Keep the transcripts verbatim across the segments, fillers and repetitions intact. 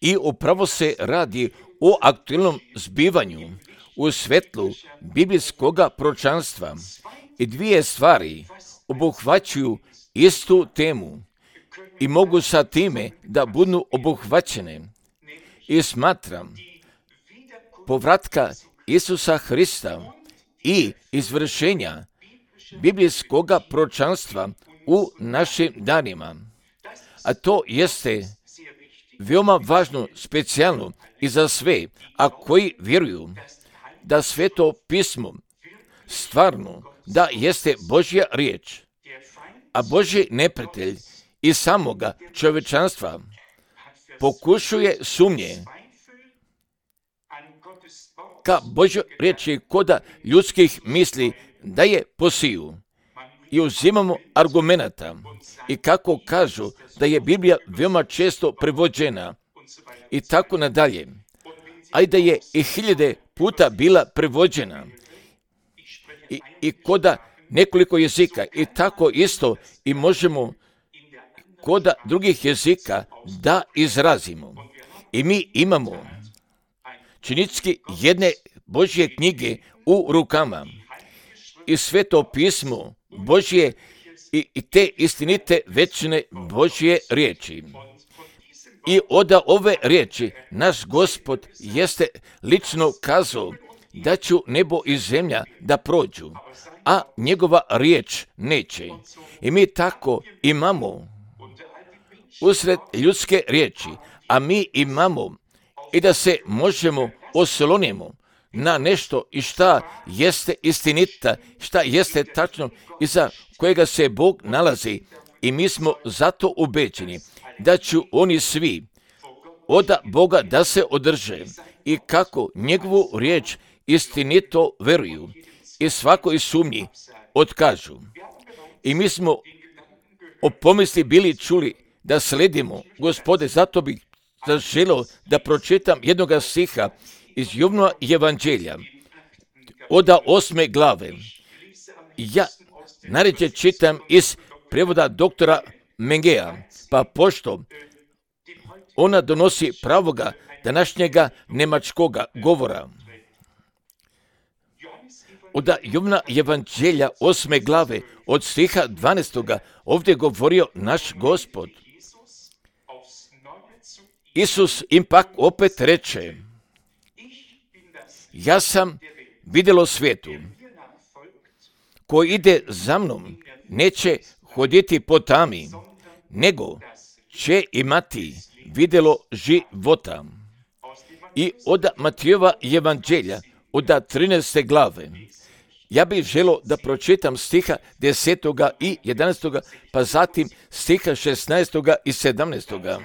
I upravo se radi o aktualnom zbivanju u svetlu biblijskog proročanstva. I dvije stvari obuhvaćuju istu temu i mogu sa time da budu obuhvaćene. I smatram povratka Isusa Hrista i izvršenja biblijskog proročanstva u našim danima. A to jeste veoma važno, specijalno i za sve, a koji vjeruju da Sveto pismo stvarno da jeste Božja riječ, a Božji neprijatelj i samoga čovječanstva pokušuje sumnje ka Božjoj riječi koda ljudskih misli da je posiju. I uzimamo argumenata i kako kažu da je Biblija veoma često prevođena i tako nadalje, a i da je i hiljade puta bila prevođena i, i koda nekoliko jezika i tako isto i možemo koda drugih jezika da izrazimo. I mi imamo činjenički jedne Božje knjige u rukama i Sveto pismo Božje i, i te istinite večne Božje riječi. I od ove riječi naš Gospod jeste lično kazao da će nebo i zemlja da prođu, a njegova riječ neće. I mi tako imamo usred ljudske riječi, a mi imamo i da se možemo oslonimo na nešto i šta jeste istinita, šta jeste tačno i za kojega se Bog nalazi. I mi smo zato ubeđeni da će oni svi od Boga da se održe i kako njegovu riječ istinito veruju i svakoj sumnji otkažu. I mi smo o pomisli bili čuli da sledimo Gospode, zato bih zaželio da pročitam jednoga stiha iz Jovnova evanđelja od osme glave. Ja naređe čitam iz prevoda doktora Mengeja, pa pošto ona donosi pravoga današnjega nemačkoga govora. Od Jovnova evanđelja osme glave od stiha dvanaestoga ovdje govorio naš Gospod. Isus im pak opet reče: ja sam vidjelo svijetu, ko ide za mnom neće hoditi po tami, nego će imati vidjelo života. I od Matijeva evanđelja od trinaeste glave ja bih želio da pročitam stiha desetoga i jedanaestoga, pa zatim stiha šesnaestoga i sedamnaestoga.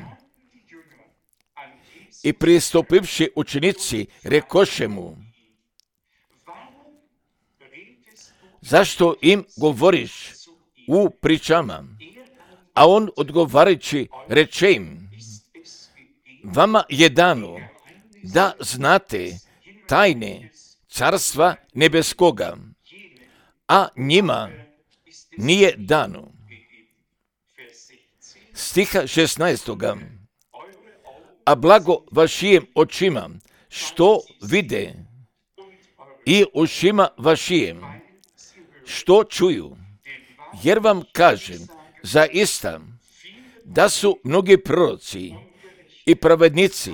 I pristupivši učenici rekoše mu: zašto im govoriš u pričama? A on odgovarajući reče im: vama je dano da znate tajne carstva nebeskoga, a njima nije dano. Stiha šesnaestoga. A blago vašijim očima što vide i ušima vašijim što čuju, jer vam kažem zaista da su mnogi proroci i pravednici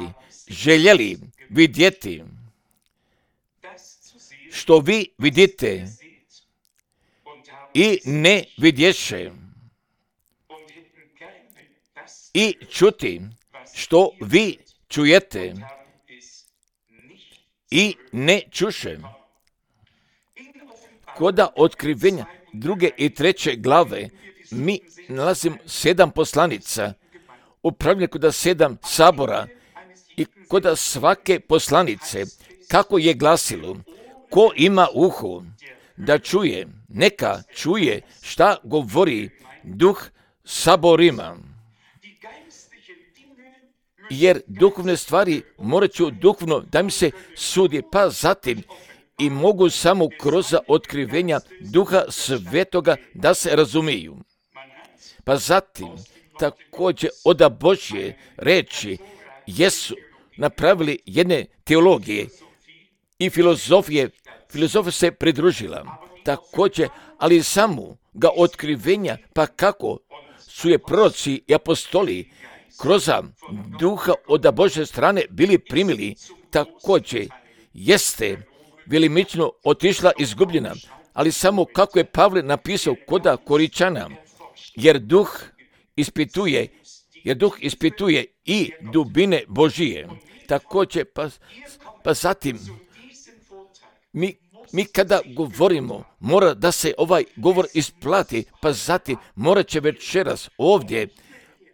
željeli vidjeti što vi vidite i ne vidješe, i čuti što vi čujete i ne čuše. Koda otkrivenja druge i treće glave mi nalazimo sedam poslanica, upravljeno koda sedam sabora i koda svake poslanice, kako je glasilo: ko ima uho da čuje, neka čuje šta govori duh saborima. Jer duhovne stvari morat ću duhovno da mi se sudi, pa zatim i mogu samo kroz otkrivenja Duha Svetoga da se razumiju. Pa zatim također od Božje reči jesu napravili jedne teologije i filozofije, filozofija se pridružila također, ali samo ga otkrivenja, pa kako su je proroci i apostoli kroz duha od Božje strane bili primili, također jeste velimično otišla izgubljena, ali samo kako je Pavle napisao koda Koričana, jer duh ispituje, jer duh ispituje i dubine Božije. Također, pa, pa zatim, mi, mi kada govorimo, mora da se ovaj govor isplati, pa zatim morat će večeras ovdje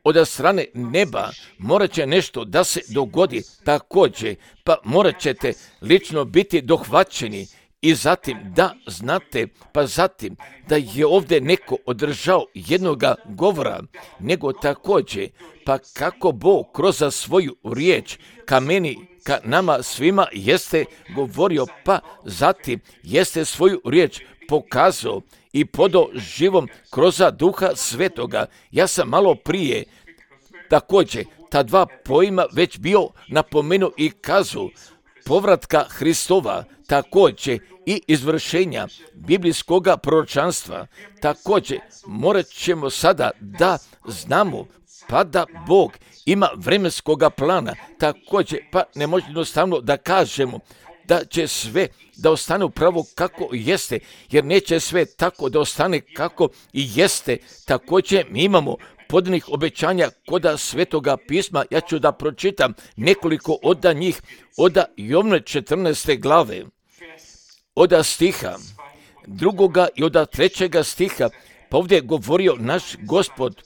od strane neba, morat će nešto da se dogodi također, pa morat ćete lično biti dohvaćeni i zatim da znate, pa zatim da je ovdje neko održao jednoga govora, nego također, pa kako Bog kroz svoju riječ ka meni, ka nama svima jeste govorio, pa zatim jeste svoju riječ pokazao i podao živom kroz duha svetoga. Ja sam malo prije također ta dva pojma već bio napomenuo i kazao povratka Hristova, također i izvršenja biblijskoga proročanstva. Također morat ćemo sada da znamo pa da Bog ima vremenskoga plana, također pa ne može jednostavno da kažemo da će sve da ostane upravo kako jeste, jer neće sve tako da ostane kako i jeste. Također mi imamo podanih obećanja koda Svetoga pisma. Ja ću da pročitam nekoliko od njih, od Jovne četrnaeste glave, od stiha drugoga i od trećega stiha, pa ovdje je govorio naš Gospod: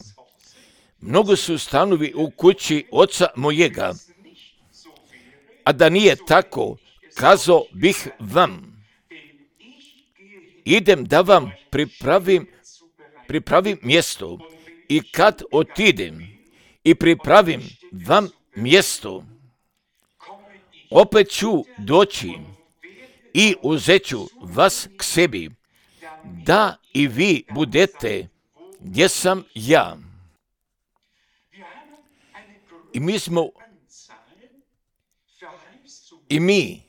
mnogo su stanovi u kući oca mojega, a da nije tako, kazao bih vam, idem da vam pripravim, pripravim mjesto, i kad otidem i pripravim vam mjesto, opet ću doći i uzet ću vas k sebi, da i vi budete gdje sam ja. I mi smo, i mi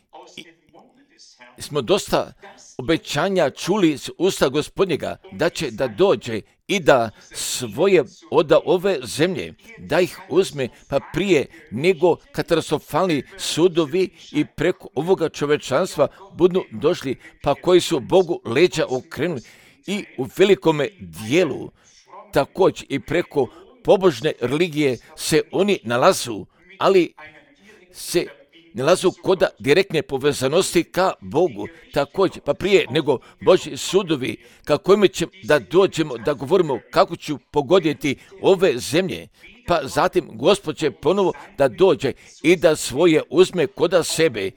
i smo dosta obećanja čuli s usta Gospodnjega da će da dođe i da svoje od ove zemlje, da ih uzme, pa prije nego katastrofalni sudovi i preko ovoga čovečanstva budu došli, pa koji su Bogu leđa okrenuli i u velikome dijelu također i preko pobožne religije se oni nalazu, ali se nalazu koda direktne povezanosti ka Bogu. Također, pa prije nego Božji sudovi, kako mi ćemo da dođemo, da govorimo kako ću pogoditi ove zemlje, pa zatim Gospod će ponovo da dođe i da svoje uzme koda sebe.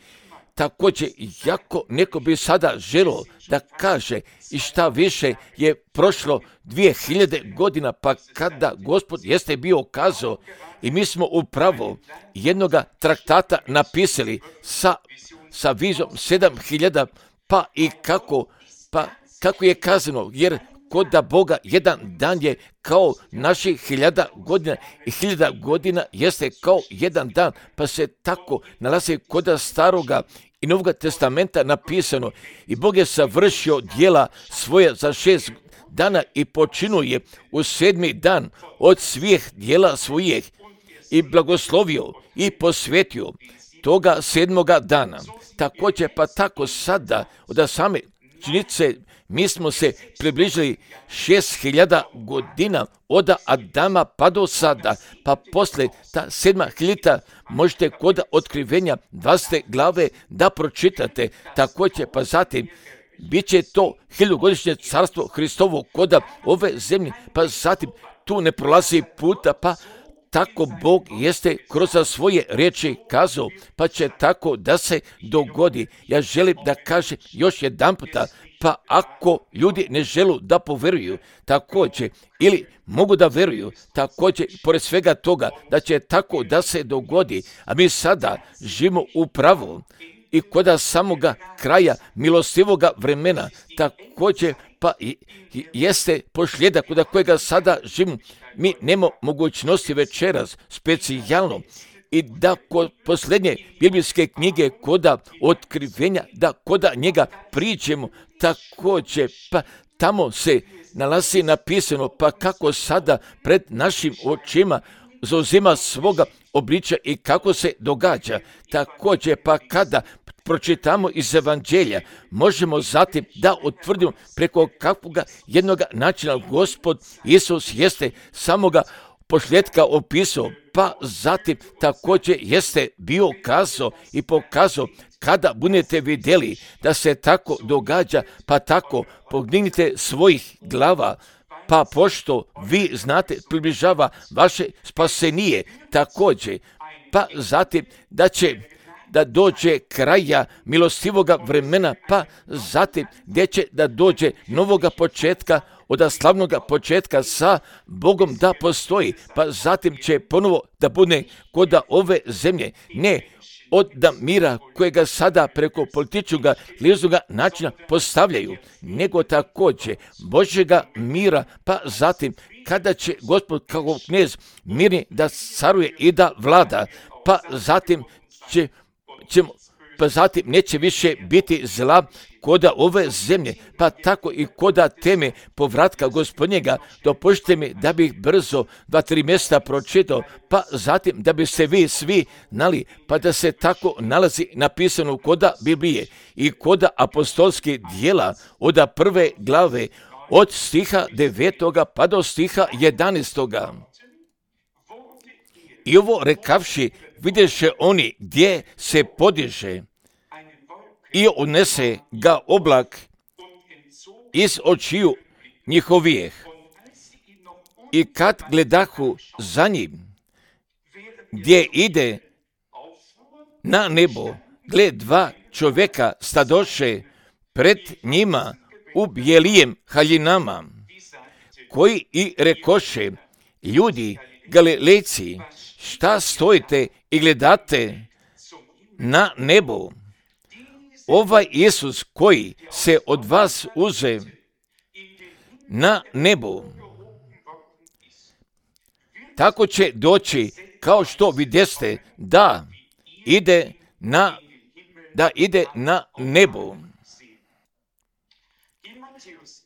Također, jako neko bi sada želo da kaže i šta više je prošlo dvije hiljade godina, pa kada Gospod jeste bio kazao, i mi smo upravo jednoga traktata napisali sa, sa vizom sedam hiljada, pa i kako, pa kako je kazano, jer kod da Boga jedan dan je kao naših hiljada godina i hiljada godina jeste kao jedan dan, pa se tako nalazi kod staroga i Novoga testamenta napisano, i Bog je savršio djela svoje za šest dana i počinuje u sedmi dan od svih djela svojih i blagoslovio i posvetio toga sedmoga dana. Također, pa tako sada od same činjenice mi smo se približili šest hiljada godina od Adama pa do sada, pa posle ta sedma hiljada možete kod otkrivenja dvadesete glave da pročitate. Također, pa zatim bit će to hiljadugodišnje carstvo Hristovo kod ove zemlje, pa zatim tu ne prolazi puta, pa tako Bog jeste kroz svoje riječi kazao, pa će tako da se dogodi. Ja želim da kažem još jedan puta, pa ako ljudi ne žele da poveruju, također, ili mogu da veruju, također, pored svega toga, da će tako da se dogodi, a mi sada živimo upravo i kod samoga kraja milostivoga vremena, također, pa jeste posljedak od kojega sada živimo. Mi nemamo mogućnosti večeras specijalno i da kod posljednje biblijske knjige, koda otkrivenja, da koda njega priđemo također, pa tamo se nalazi napisano, pa kako sada pred našim očima zauzima svoga obličja i kako se događa. Također, pa kada pročitamo iz Evanđelja, možemo zatim da utvrdimo preko kakvoga jednoga načina Gospod Isus jeste samoga posljedka opisao, pa zatim također jeste bio kazao i pokazao kada budete vidjeli da se tako događa, pa tako podignite svojih glava, pa pošto vi znate približava vaše spasenije također, pa zatim da će da dođe kraja milostivoga vremena, pa zatim gdje će da dođe novoga početka, od slavnoga početka sa Bogom da postoji, pa zatim će ponovo da bude kod ove zemlje, ne od da mira kojega sada preko političkog liznoga načina postavljaju, nego također Božjega mira, pa zatim kada će Gospod kao knez mirni da caruje i da vlada, pa zatim će ćemo, pa zatim neće više biti zla koda ove zemlje, pa tako i koda teme povratka Gospodnjega. Dopustite mi da bih brzo dva, tri mjesta pročitao, pa zatim da bi se vi svi znali, pa da se tako nalazi napisano koda Biblije i koda apostolskih dijela od prve glave, od stiha devetoga pa do stiha jedanaestoga. I ovo rekavši, vidješe oni gdje se podiže i unese ga oblak iz očiju njihovijeh. I kad gledahu za njim, gdje ide na nebo, gled dva čovjeka stadoše pred njima u bijelijem haljinama, koji i rekoše, ljudi Galilejci, šta stojite i gledate na nebo? Ovaj Isus koji se od vas uze na nebo, tako će doći kao što vidjeste da ide na, da ide na nebo.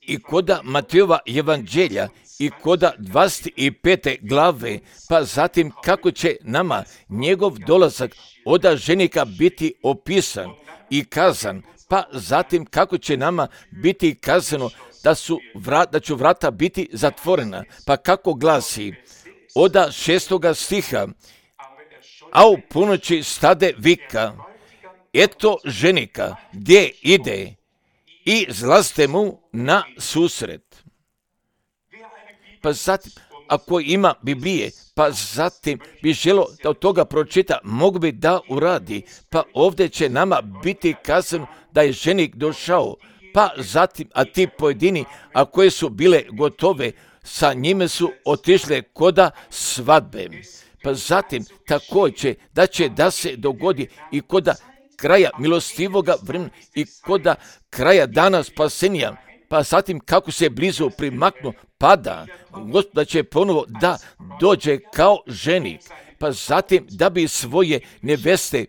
I koda Matejova evanđelja i koda dvadeset pete glave, pa zatim kako će nama njegov dolazak oda ženika biti opisan i kazan, pa zatim kako će nama biti kazano da, su vrat, da će vrata biti zatvorena, pa kako glasi oda šestoga stiha, a u ponoći stade vika, eto ženika gdje ide i zlazite mu na susret. Pa zatim, ako ima Biblije, pa zatim bi želo da od toga pročita, mogu bi da uradi, pa ovdje će nama biti kazano da je ženik došao, pa zatim, a ti pojedini, a koje su bile gotove, sa njime su otišle koda svadbe. Pa zatim, također, da će da se dogodi i koda kraja milostivoga vremena i koda kraja dana spasenja, pa zatim kako se blizu primaknu pada, Gospod će ponovo da dođe kao ženik, pa zatim da bi svoje neveste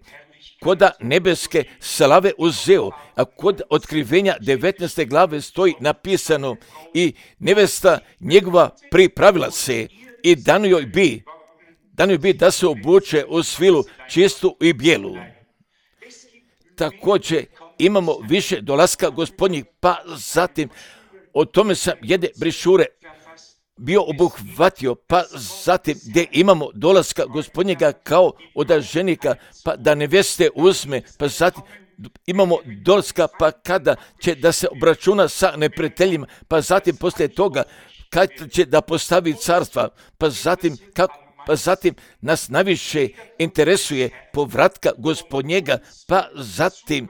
koda nebeske slave uzeo, a kod otkrivenja devetnaeste glave stoji napisano i nevesta njegova pripravila se i dano joj bi, dano joj bi da se obuče u svilu čistu i bijelu. Također imamo više dolaska Gospodnjih, pa zatim o tome sam jedne brišure bio obuhvatio, pa zatim gdje imamo dolaska Gospodnjega kao od ženika, pa da neveste uzme, pa zatim imamo dolaska, pa kada će da se obračuna sa neprijateljima, pa zatim poslije toga kad će da postavi carstva, pa zatim kako pa zatim nas najviše interesuje povratka Gospodnjega, pa zatim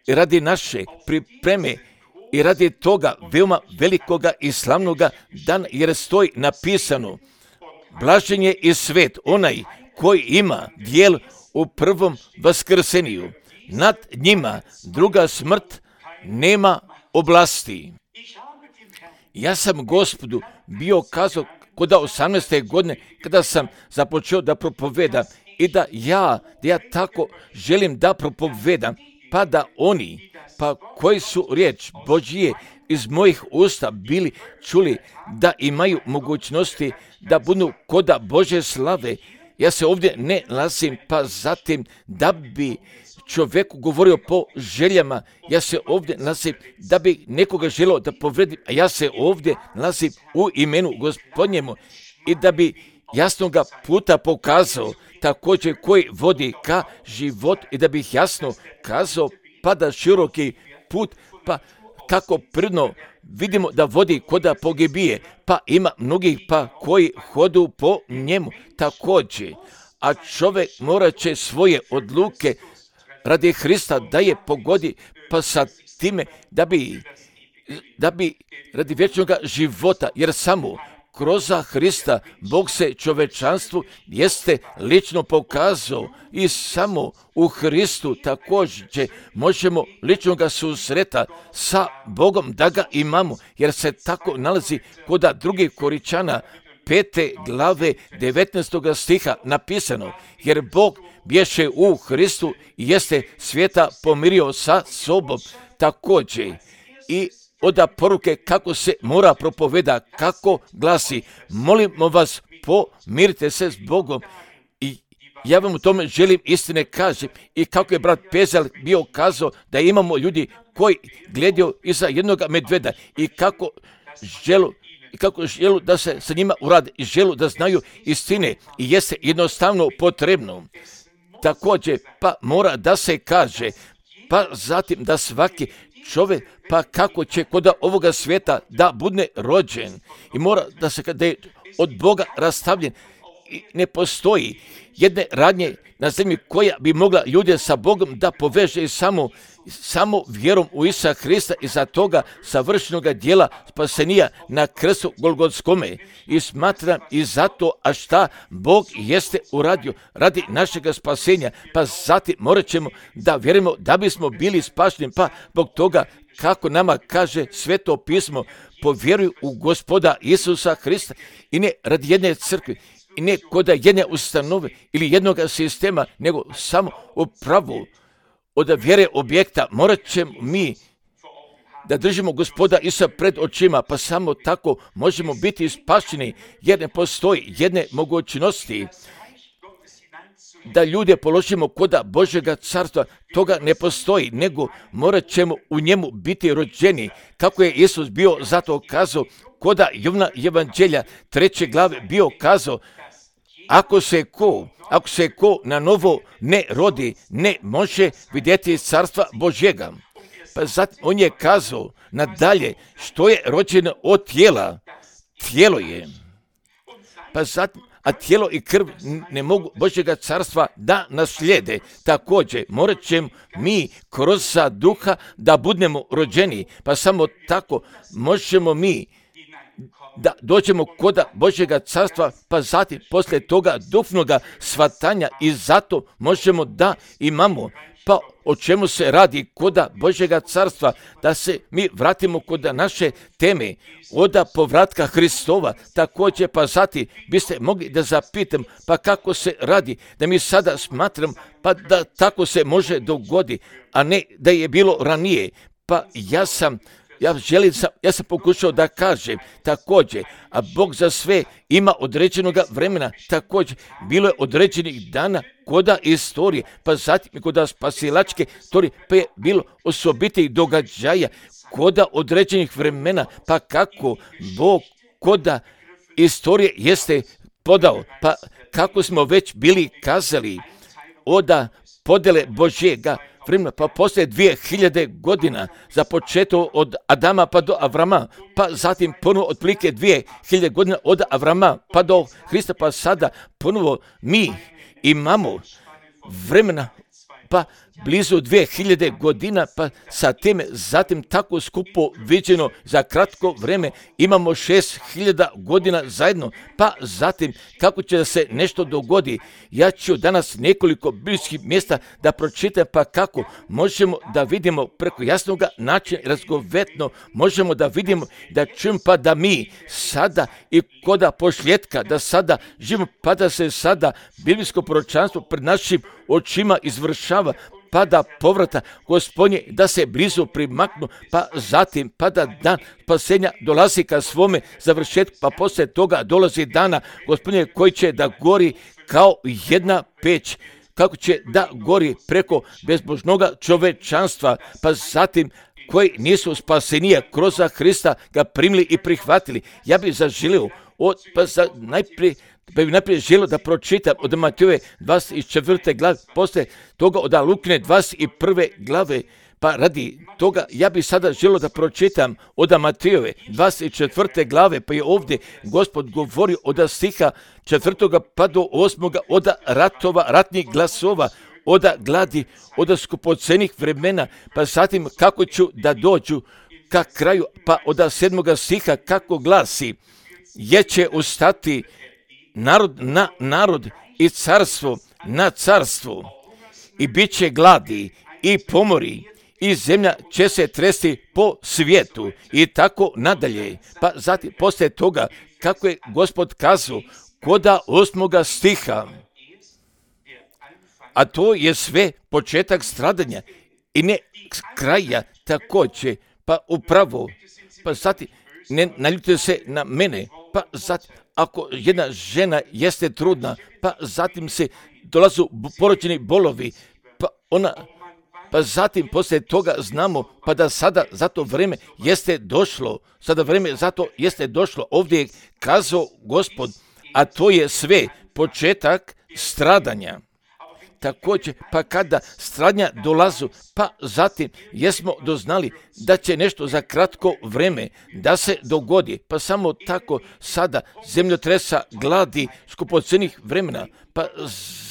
radi naše pripreme i radi toga veoma velikoga i slavnoga dana, jer stoji napisano, blažen je i svet onaj koji ima dijel u prvom vaskrseniju. Nad njima druga smrt nema oblasti. Ja sam Gospodu bio kazao kod osamnaeste godine kada sam započeo da propovedam i da ja, da ja tako želim da propovedam, pa da oni, pa koji su riječ Božje iz mojih usta bili čuli da imaju mogućnosti da budu koda Božje slave. Ja se ovdje ne nalazim pa zatim da bi čovjeku govorio po željama, ja se ovdje nalazim da bi nekoga želio da povredim, a ja se ovdje nalazim u imenu Gospodnjemu i da bi jasnoga puta pokazao također koji vodi ka život i da bih jasno kazao pa da široki put, pa kako prirodno vidimo da vodi koda pogibije, pa ima mnogih pa koji hodu po njemu također, a čovjek morat će svoje odluke radi Hrista da je pogodi, pa sa time da bi, da bi radi vječnog života, jer samo kroz Hrista Bog se čovečanstvu jeste lično pokazao i samo u Hristu također možemo ličnog susreta sa Bogom da ga imamo, jer se tako nalazi kod drugih Koričana pete glave devetnaestog stiha napisano, jer Bog bješe u Hristu i jeste svijeta pomirio sa sobom također. I oda poruke kako se mora propoveda, kako glasi, molimo vas, pomirite se s Bogom. I ja vam u tome želim istine kažem i kako je brat Pezel bio kazao da imamo ljudi koji gledaju iza jednog medveda i kako želu i kako želu da se sa njima uradi i želu da znaju istine i jeste jednostavno potrebno. Također pa mora da se kaže, pa zatim da svaki čovjek pa kako će kod ovoga svijeta da bude rođen i mora da se kada je od Boga rastavljen i ne postoji jedne radnje na zemlji koja bi mogla ljude sa Bogom da poveže samo, samo vjerom u Isusa Hrista i za toga savršenog djela spasenija na krstu Golgotskome. I smatram i zato, a šta Bog jeste uradio radi našega spasenja, pa zatim morat ćemo da vjerujemo da bismo bili spašeni, pa zbog toga kako nama kaže Sveto pismo, povjeruj u Gospoda Isusa Hrista i ne radi jedne crkve, i ne kod jedne ustanove ili jednog sistema, nego samo u pravu od vjere objekta. Morat ćemo mi da držimo Gospoda Isusa pred očima, pa samo tako možemo biti spašeni, jer ne postoji jedne mogućnosti da ljude položimo koda Božjega carstva, toga ne postoji, nego morat ćemo u njemu biti rođeni, kako je Isus bio zato kazao, koda Jovana Evanđelja treće glave bio kazao, ako se ko, ako se ko na novo ne rodi, ne može vidjeti carstva Božjega. Pa zatim on je kazao nadalje, što je rođeno od tijela, tijelo je. Pa zatim, a tijelo i krv ne mogu Božjega carstva da naslijede. Također, morat ćemo mi kroz duha da budemo rođeni, pa samo tako možemo mi da dođemo kod Božjega carstva, pa zatim poslije toga duhovnoga shvatanja i zato možemo da imamo. Pa o čemu se radi kod Božjega carstva, da se mi vratimo kod naše teme, od povratka Hristova, također pa zatim biste mogli da zapitam, pa kako se radi, da mi sada smatram, pa da tako se može dogoditi, a ne da je bilo ranije. Pa ja sam Ja želim, sam, ja sam pokušao da kažem također, a Bog za sve ima određenog vremena, također bilo je određenih dana koda istorije, pa zatim koda spasilačke istorije, pa je bilo osobitih događaja koda određenih vremena, pa kako Bog koda istorije jeste podao, pa kako smo već bili kazali, oda podjele Božjega vremena, pa poslije dvije hiljade godina, za početo od Adama pa do Avrama, pa zatim ponovo otprilike dvije hiljade godina od Avrama pa do Hrista, pa sada ponovo mi imamo vremena pa blizu dvije hiljade godina, pa sa time zatim tako skupo viđeno za kratko vreme imamo šest hiljada godina zajedno, pa zatim kako će da se nešto dogodi. Ja ću danas nekoliko biblijskih mjesta da pročitam, pa kako možemo da vidimo preko jasnog načina razgovetno, možemo da vidimo, da čujemo, pa da mi sada i koda pošljetka, da sada živimo, pa da se sada biblijsko proročanstvo pred našim očima izvršava, pa da povrata Gospodnje da se blizu primaknu, pa zatim pa da dan spasenja dolazi ka svome završetku, pa poslije toga dolazi dana Gospodnje koji će da gori kao jedna peć, kako će da gori preko bezbožnoga čovečanstva, pa zatim koji nisu spasenija kroz Hrista ga primili i prihvatili. Ja bih zaželio, od, pa za najprije Pa bih najprije želio da pročitam od Matejove dvadeset četvrte glave, poslije toga od Lukine dvadeset prve glave, pa radi toga ja bih sada želio da pročitam od Matejove dvadeset četvrte glave, pa je ovdje Gospod govori od stiha četvrtoga pa do osmoga od ratova, ratnih glasova, od gladi, od skupocenih vremena, pa zatim kako ću da dođu ka kraju, pa od sedmoga stiha kako glasi, jer će ustati narod na narod i carstvo na carstvo i bit će gladi i pomori i zemlja će se tresti po svijetu i tako nadalje. Pa zatim poslije toga kako je Gospod kazao koda osmoga stiha, a to je sve početak stradanja i ne kraja također, pa upravo, pa zatim ne naljutite se na mene, pa zatim ako jedna žena jeste trudna, pa zatim se dolazu porođeni bolovi, pa ona, pa zatim poslije toga znamo, pa da sada zato vrijeme jeste došlo, sada vrijeme zato jeste došlo, ovdje je kazao Gospod, a to je sve početak stradanja. Također, pa kada stradnja dolazu, pa zatim jesmo doznali da će nešto za kratko vrijeme da se dogodi, pa samo tako sada zemljotresa, gladi, skupocenih vremena, pa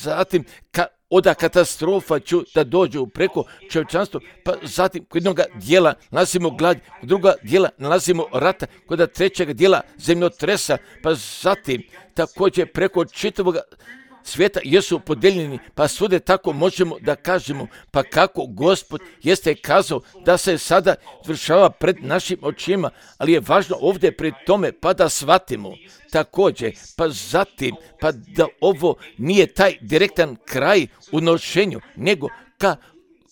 zatim ka, oda katastrofa ću da dođu preko čovječanstva, pa zatim kod jednog dijela nalazimo glad, kod druga dijela nalazimo rata, kod trećeg dijela zemljotresa, pa zatim također preko čitavog svijeta jesu podijeljeni, pa svude tako možemo da kažemo, pa kako Gospod jeste kazao da se sada vršava pred našim očima, ali je važno ovdje pri tome pa da shvatimo također, pa zatim, pa da ovo nije taj direktan kraj u nošenju, nego ka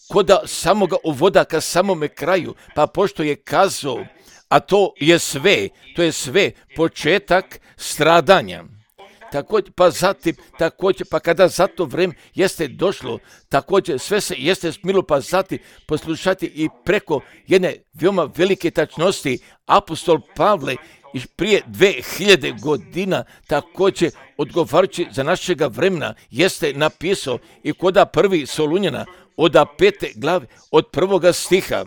koda samoga uvoda ka samome kraju, pa pošto je kazao, a to je sve, to je sve početak stradanja. Također, pa zatim, također, pa kada za to vrijeme jeste došlo, također sve se jeste smilo, pa zatim poslušati i preko jedne veoma velike tačnosti apostol Pavle iz prije dve hiljade godina također odgovarajući za našega vremena jeste napisao i koda prvi Solunjana od pete glave od prvoga stiha.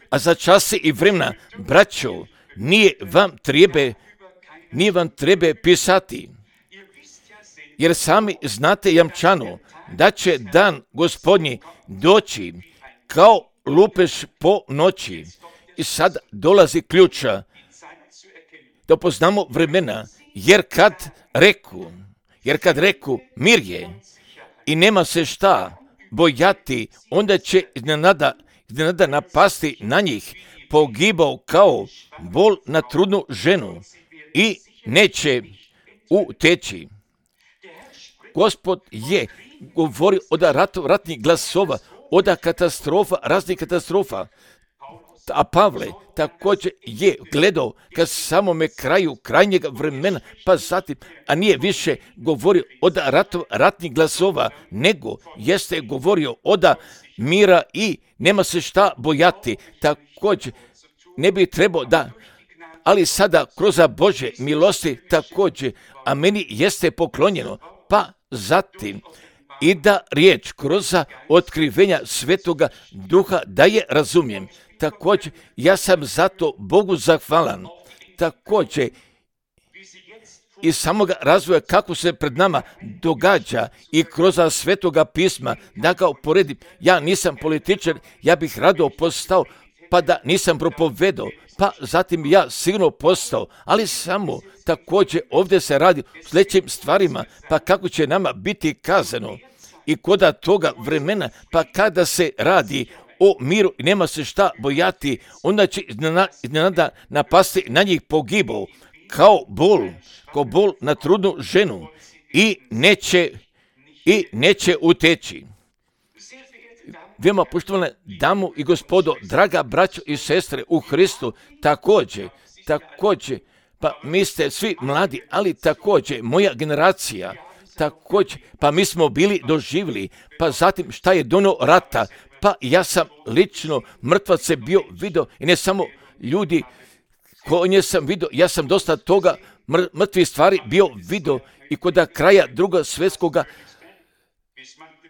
A za čase i vremena, braćo, nije vam treba Nije vam treba pisati, jer sami znate jamčano da će dan Gospodnji doći kao lupež po noći. I sad dolazi ključa da poznamo vremena, jer kad reku, jer kad reku mir je i nema se šta bojati, onda će iznenada, iznenada napasti na njih, pogibao kao bol na trudnu ženu i neće uteći. Gospod je govorio od ratu, ratnih glasova, od katastrofa, raznih katastrofa. A Pavle također je gledao ka samome kraju krajnjeg vremena, pa zatim, a nije više govorio od ratu, ratnih glasova, nego jeste govorio od mira i nema se šta bojati. Također ne bi trebao da, ali sada kroz Božje milosti također, a meni jeste poklonjeno, pa zatim i da riječ kroz otkrivenja Svetoga Duha da je razumijem. Također, ja sam zato Bogu zahvalan. Također, i samoga razvoja kako se pred nama događa i kroz Svetoga pisma, da ga uporedim. Ja nisam političar, ja bih rado postao, pa da nisam propovedao, pa zatim ja sigurno postao, ali samo također ovdje se radi o sljedećim stvarima, pa kako će nama biti kazano i koda toga vremena, pa kada se radi o miru i nema se šta bojati, onda će iznenada napasti na njih pogibao, kao bol, kao bol na trudnu ženu i neće, i neće uteći. Veoma poštovane damu i gospodo, draga braćo i sestre u Hristu, također, također, pa mi ste svi mladi, ali također moja generacija, također, pa mi smo bili doživjeli, pa zatim šta je dono rata, pa ja sam lično mrtvace bio vidio i ne samo ljudi koje sam vidio, ja sam dosta toga mr- mrtvih stvari bio vidio i kod kraja drugog svjetskoga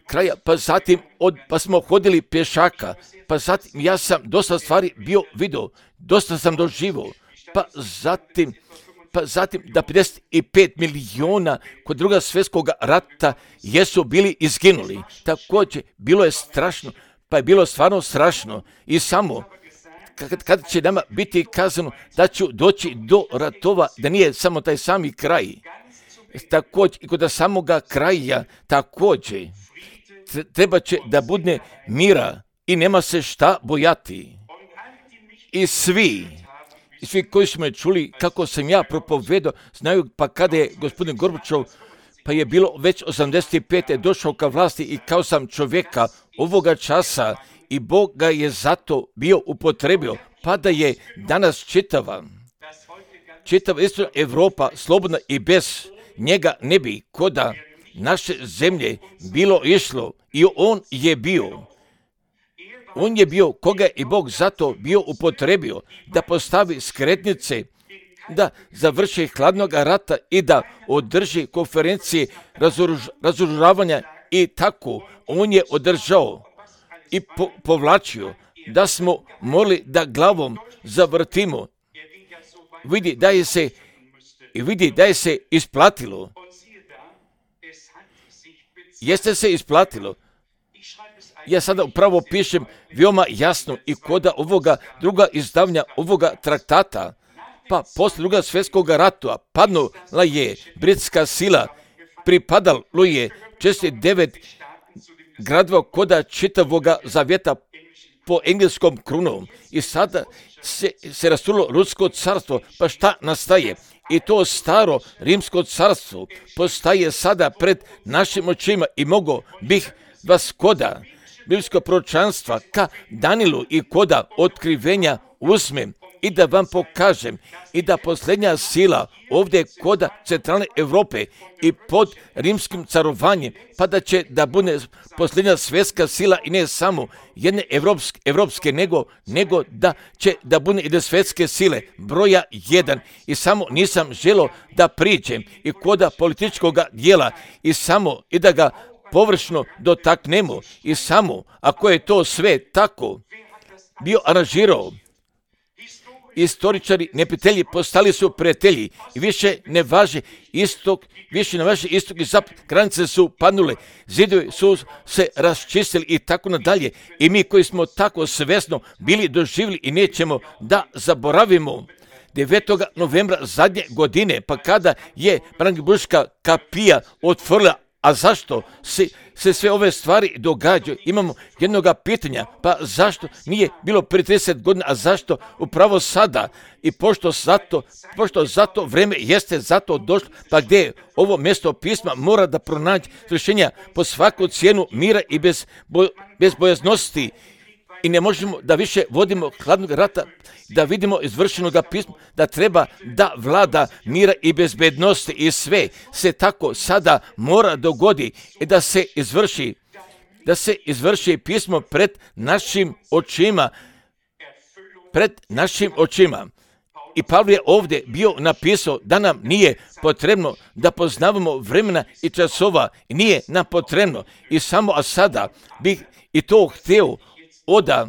kraja, pa zatim od, pa smo hodili pješaka, pa zatim ja sam dosta stvari bio vidio, dosta sam doživio, pa zatim pa zatim da pedeset pet milijuna kod drugog svjetskog rata jesu bili izginuli. Također, bilo je strašno, pa je bilo stvarno strašno i samo kad, kad će nama biti kazano da ću doći do ratova, da nije samo taj sami kraj. Također, i kod samoga kraja, također, treba će da bude mira i nema se šta bojati. I svi, i svi koji su me čuli kako sam ja propovedao, znaju pa kada je gospodin Gorbačov, pa je bilo već osamdeset pete došao ka vlasti i kao sam čovjeka ovoga časa i Bog ga je zato bio upotrebio, pa da je danas čitava, čitava isto Evropa slobodna i bez njega ne bi koda naše zemlje bilo išlo i on je bio. On je bio koga je i Bog zato bio upotrebio da postavi skretnice, da završi hladnog rata i da održi konferencije razoruž, razoružavanja i tako. On je održao i po, povlačio da smo morali da glavom zavrtimo. Vidi da je se, i vidi da je se isplatilo. Jeste se isplatilo. Ja sada upravo pišem veoma jasno i koda ovoga druga izdavanja ovoga traktata, pa posle druga svjetskog rata padnula je britska sila, pripadalo je četrdeset devet gradova koda čitavoga zavjeta po engleskom krunom i sada se, se rastulo rusko carstvo, pa šta nastaje? I to staro rimsko carstvo postaje sada pred našim očima i mogo bih vas koda biblijskog proročanstva ka Danilu i koda otkrivenja uzmem i da vam pokažem i da posljednja sila ovdje koda centralne Europe i pod rimskim carovanjem, pa da će da bude posljednja svjetska sila i ne samo jedne evropske, evropske nego, nego da će da bude jedne svjetske sile, broja jedan. I samo nisam želio da priđem i koda političkog dijela i samo i da ga površno dotaknemo i samo ako je to sve tako bio aranžirao, istoričari, neprijatelji postali su prijatelji i više ne važe istok, više ne važe istok i zapad, granice su padnule, zidovi su se raščistili i tako nadalje. I mi koji smo tako svjesno bili doživjeli i nećemo da zaboravimo devetog novembra zadnje godine, pa kada je Brandenburška kapija otvorila. A zašto se, se sve ove stvari događaju? Imamo jednoga pitanja, pa zašto nije bilo prije trideset godina, a zašto upravo sada? I pošto zato, pošto zato vreme jeste zato došlo, pa gdje je ovo mjesto pisma mora da pronaći rješenja po svaku cijenu mira i bez, boj, bez bojaznosti. I ne možemo da više vodimo hladnog rata, da vidimo izvršenoga pisma, da treba da vlada mira i bezbednosti i sve se tako sada mora dogodi i da se izvrši, da se izvrši pismo pred našim očima, pred našim očima. I Pavle je ovdje bio napisao da nam nije potrebno da poznavamo vremena i časova, i nije nam potrebno. I samo a sada bih i to htio oda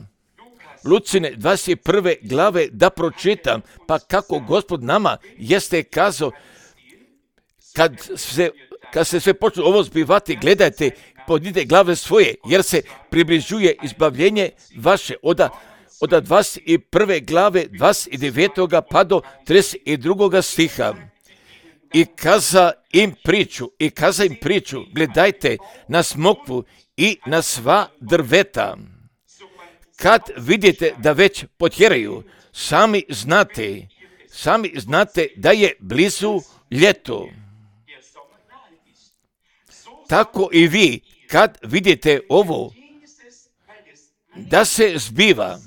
Lucine dvadeset prve glave da pročitam, pa kako Gospod nama jeste kazao kad se, kad se sve počne ovo zbivati, gledajte, podnite glave svoje, jer se približuje izbavljenje vaše od od dvadeset prve glave, dvadeset devetog pa do trideset drugog stiha. I kaza im priču, i kaza im priču, gledajte na smokvu i na sva drveta. Kad vidite da već potjeraju, sami znate, sami znate da je blizu ljeto. Tako i vi, kad vidite ovo, da se zbiva,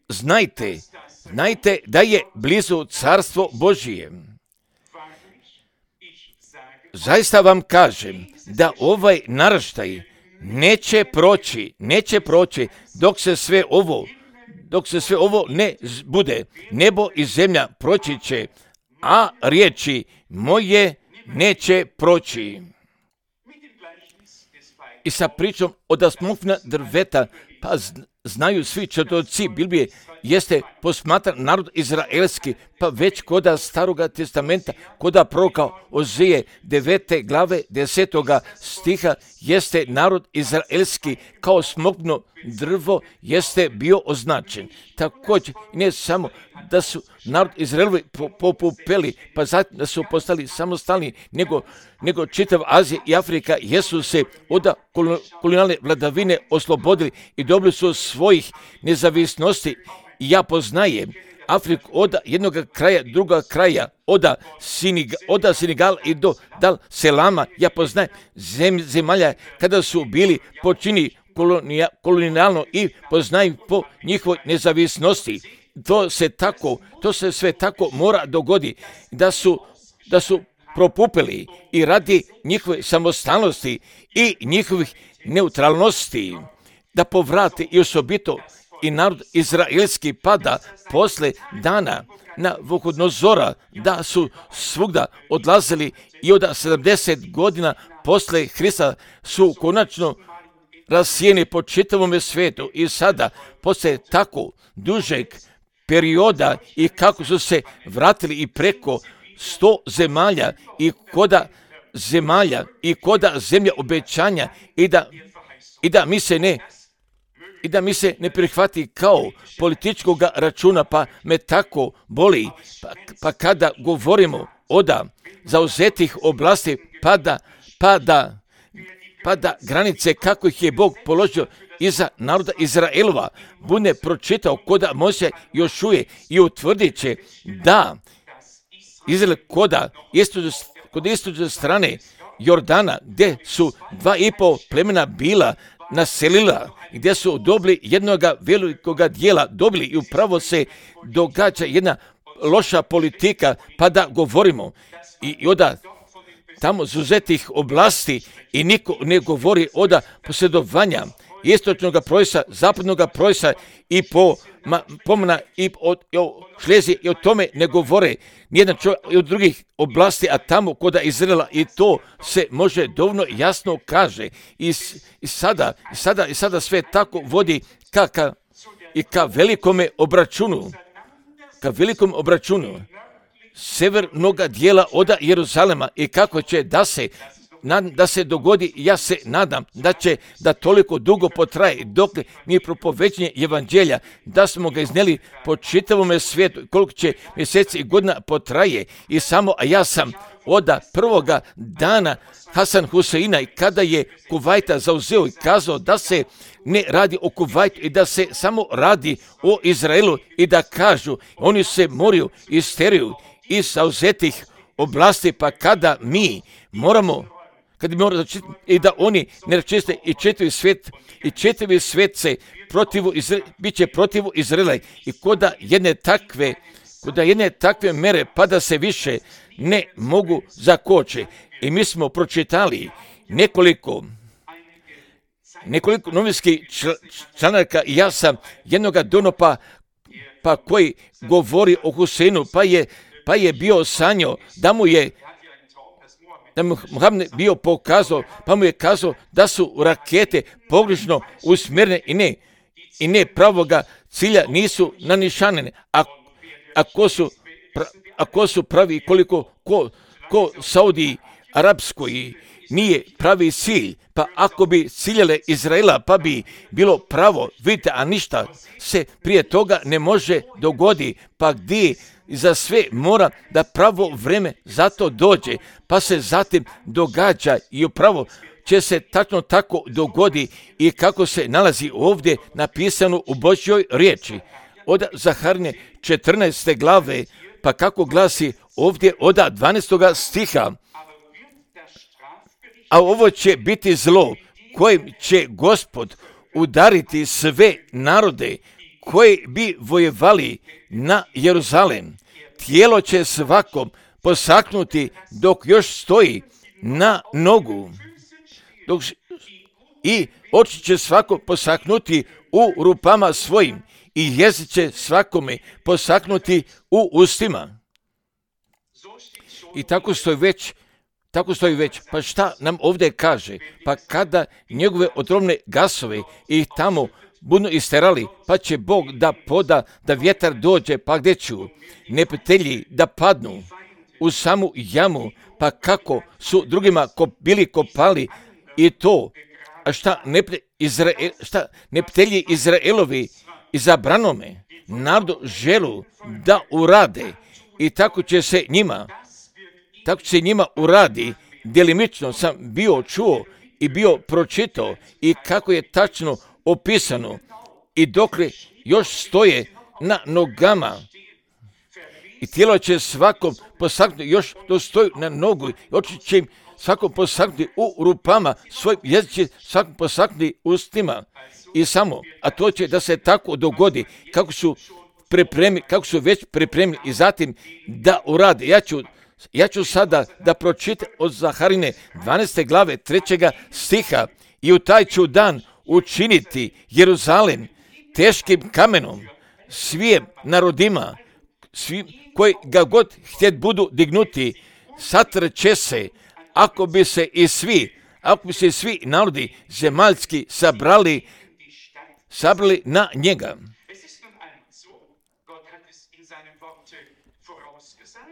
znajte, znajte da je blizu carstvo Božije. Zaista vam kažem da ovaj naraštaj neće proći, neće proći dok se sve ovo, dok se sve ovo ne bude. Nebo i zemlja proći će, a riječi moje neće proći. I sa pričom od smokvina drveta, pa znaju svi četoci Biblije, jeste posmatran narod izraelski, pa već koda Staroga testamenta, koda proroka Ozije devete glave desetoga stiha, jeste narod izraelski kao smokvino drvo jeste bio označen. Također, ne samo da su narod Izraelovi popupeli, pa zatim da su postali samostalni, nego, nego čitav Azija i Afrika jesu se od kolonijalne vladavine oslobodili i dobili su svojih nezavisnosti. I ja poznajem Afriku od jednog kraja, druga kraja, od Senegala Senegal i do Dal Selama. Ja poznajem zem, zemalja kada su bili počini kolonija, kolonijalno i poznajem po njihovoj nezavisnosti. To se tako, to se sve tako mora dogodi da su, da su propupili i radi njihove samostalnosti i njihovih neutralnosti da povrate i osobito i narod izraelski pada posle dana na Vukodnozora, da su svugda odlazili i od sedamdeset godina posle Hrista su konačno rasijeni po čitavom svijetu i sada posle tako dužeg perioda i kako su se vratili i preko sto zemalja i koda zemalja i koda zemlja obećanja i da, i da mi se ne i da mi se ne prihvati kao političkog računa, pa me tako boli, pa, pa kada govorimo o da zauzetih oblasti, pa da, pa da, pa da granice kako ih je Bog položio iza naroda Izraelova, bude pročitao koda Mojsija Jošuje i utvrdit će da Izrael koda istočne, kod istočne strane Jordana, gdje su dva i pol plemena bila naselila, gdje su dobili jednoga velikoga dijela, dobili i upravo se događa jedna loša politika, pa da govorimo i, i onda tamo zuzetih oblasti i niko ne govori oda posjedovanja istočnog projesa, zapadnog projesa i po ma, pomna i o, o Šleziji i o tome ne govore nijedan čovjek i od drugih oblasti, a tamo koda Izraela i to se može dovoljno jasno kaže i, i, sada, i, sada, i sada sve tako vodi ka, ka, i ka velikome obračunu, ka velikom obračunu severnog dijela od Jeruzalema i kako će da se da se dogodi, ja se nadam da će da toliko dugo potraje dok mi propovećenje evanđelja, da smo ga iznijeli po čitavom svijetu, koliko će mjeseci i godina potraje i samo, a ja sam od prvoga dana Hasan Huseina i kada je Kuvajta zauzeo i kazao da se ne radi o Kuvajtu i da se samo radi o Izraelu i da kažu, oni se moraju isteriju iz zauzetih oblasti, pa kada mi moramo kad bi morali i da oni ne račiste i čitavi svijet, i čitavi svijet se protivu, bit će protivu Izraela i koda jedne takve, koda jedne takve mere pa da se više ne mogu zakoče. I mi smo pročitali nekoliko, nekoliko novinskih članaka i ja sam jednoga donopa pa koji govori o Huseinu, pa je, pa je bio sanjao da mu je da mu Muhammed bio pokazao, pa mu je kazao da su rakete pogrešno usmjerene i ne, i ne pravoga cilja nisu nanišanene. A, ako su, pra, ako su pravi koliko ko ko Saudi Arabskoj nije pravi cilj, pa ako bi ciljale Izraela, pa bi bilo pravo, vidite, a ništa se prije toga ne može dogodi, pa gdje za sve mora da pravo vreme za to dođe, pa se zatim događa i upravo će se tačno tako dogodi i kako se nalazi ovdje napisano u Božjoj riječi. Od Zaharine četrnaeste glave, pa kako glasi ovdje od dvanaestoga stiha. A ovo će biti zlo kojim će Gospod udariti sve narode koji bi vojevali na Jeruzalem. Tijelo će svakom posaknuti dok još stoji na nogu. Dok i oči će svako posaknuti u rupama svojim i jezik će svakome posaknuti u ustima. I tako stoji već, tako stoji već. Pa šta nam ovdje kaže? Pa kada njegove otrovne gasove ih tamo budu isterali, pa će Bog da poda da vjetar dođe, pa gdje ću neprijatelji da padnu u samu jamu, pa kako su drugima kop, bili kopali i to, a šta, nepre, Izrael, šta neprijatelji Izraelovi izabranome narodu želu da urade i tako će se njima, tako će se njima uradi. Djelimično sam bio čuo i bio pročitao i kako je tačno opisano i dokle još stoje na nogama i tijelo će svakom posaknuti još to stoji na nogu i oči će im svakom posaknuti u rupama, svoj jezik će svakom posaknuti ustima i samo, a to će da se tako dogodi kako su pripremili, kako su već pripremili i zatim da urade. Ja ću, ja ću sada da pročitam od Zaharine dvanaeste glave trećega stiha. I u taj ću dan učiniti Jeruzalem teškim kamenom svim narodima, svim koji ga god htjet budu dignuti, satrče se, ako bi se i svi, ako bi se svi narodi zemaljski sabrali, sabrali na njega.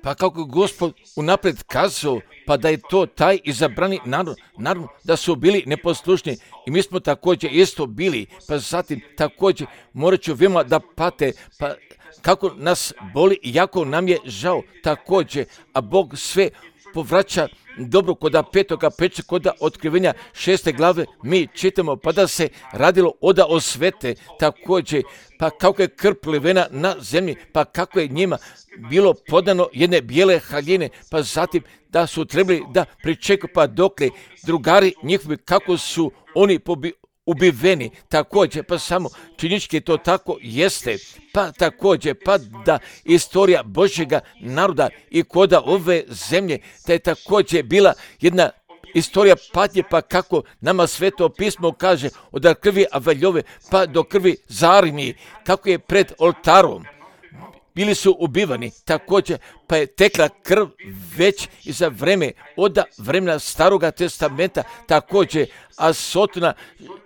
Pa kako Gospod unaprijed kazao, pa da je to taj izabrani narod, naravno da su bili neposlušni i mi smo također isto bili, pa zatim također morat ću vima da pate, pa kako nas boli i jako nam je žao također, a Bog sve povraća dobro koda petoga peče, koda otkrivenja šeste glave mi čitamo, pa da se radilo oda osvete također, pa kako je krv prolivena na zemlji, pa kako je njima bilo podano jedne bijele haljine, pa zatim da su trebali da pričekaju, pa dokle drugari njihovi, kako su oni pobi, ubiveni, također, pa samo činički to tako jeste, pa također, pa da istorija Božjega naroda i koda ove zemlje, da je također bila jedna istorija patnje, pa kako nama Sveto pismo kaže, od krvi Avaljove pa do krvi Zarini, kako je pred oltarom bili su ubivani, također pa je tekla krv već i za vreme, od vremena Staroga testamenta, također, a sotona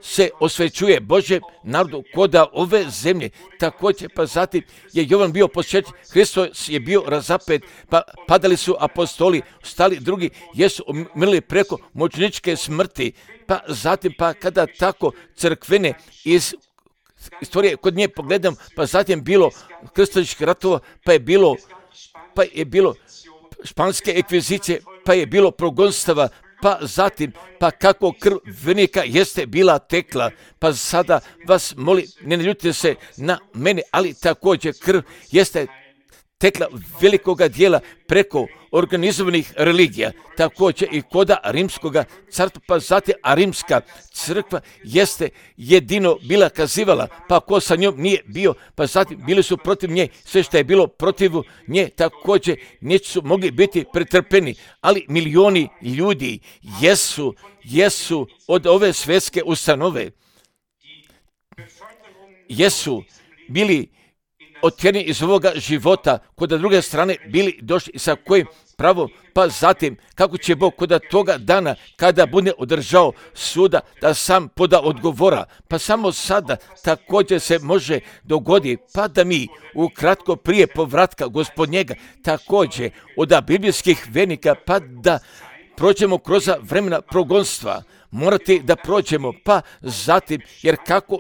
se osvećuje Božjem narodu koda ove zemlje, također, pa zatim je Jovan bio posvećen, Hristos je bio razapet, pa padali su apostoli, stali drugi, jesu umrli preko mučeničke smrti, pa zatim, pa kada tako crkvene iz istorije kod nje pogledam, pa zatim bilo krstaških ratova, pa je bilo, pa je bilo španske ekvizicije, pa je bilo progonstava, pa zatim, pa kako krv vernika jeste bila tekla, pa sada vas molim, ne naljutite se na mene, ali također krv jeste tekla velikoga dijela preko organizovanih religija, također i koda rimskoga carstva, pa zatim, a rimska crkva jeste jedino bila kazivala, pa ko sa njom nije bio, pa zatim bili su protiv nje, sve što je bilo protiv nje, također nisu mogli biti pretrpeni, ali milioni ljudi jesu, jesu od ove svjetske ustanove, jesu bili otjerani iz ovoga života, kod druge strane bili došli sa kojim pravo, pa zatim kako će Bog kod toga dana kada bude održao suda da sam poda odgovora, pa samo sada također se može dogoditi, pa da mi ukratko prije povratka Gospodnjega također od biblijskih vernika, pa da prođemo kroz vremena progonstva, morate da prođemo, pa zatim, jer kako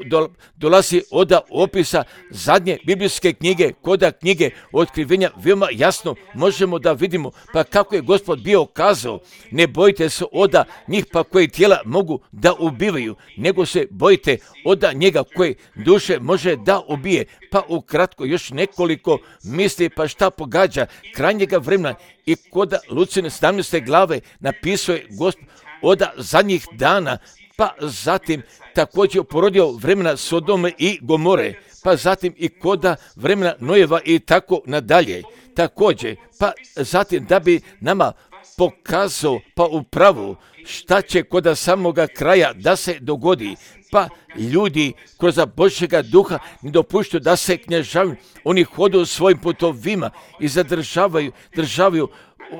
dolazi od opisa zadnje biblijske knjige, koda knjige otkrivenja, veoma jasno možemo da vidimo, pa kako je Gospod bio kazao, ne bojite se od njih pa koji tijela mogu da ubivaju, nego se bojite od njega koji duše može da ubije. Pa ukratko još nekoliko misli, pa šta pogađa krajnjega vremena i kod Lucine sedamnaeste glave napisao je Gospod od zadnjih dana, pa zatim također porodio vremena Sodome i Gomore, pa zatim i koda vremena Nojeva i tako nadalje. Također, pa zatim da bi nama pokazao pa upravo šta će kod samoga kraja da se dogodi, pa ljudi kroz Božjega duha ne dopuštaju da se knježavaju, oni hodu svojim putovima i zadržavaju, državaju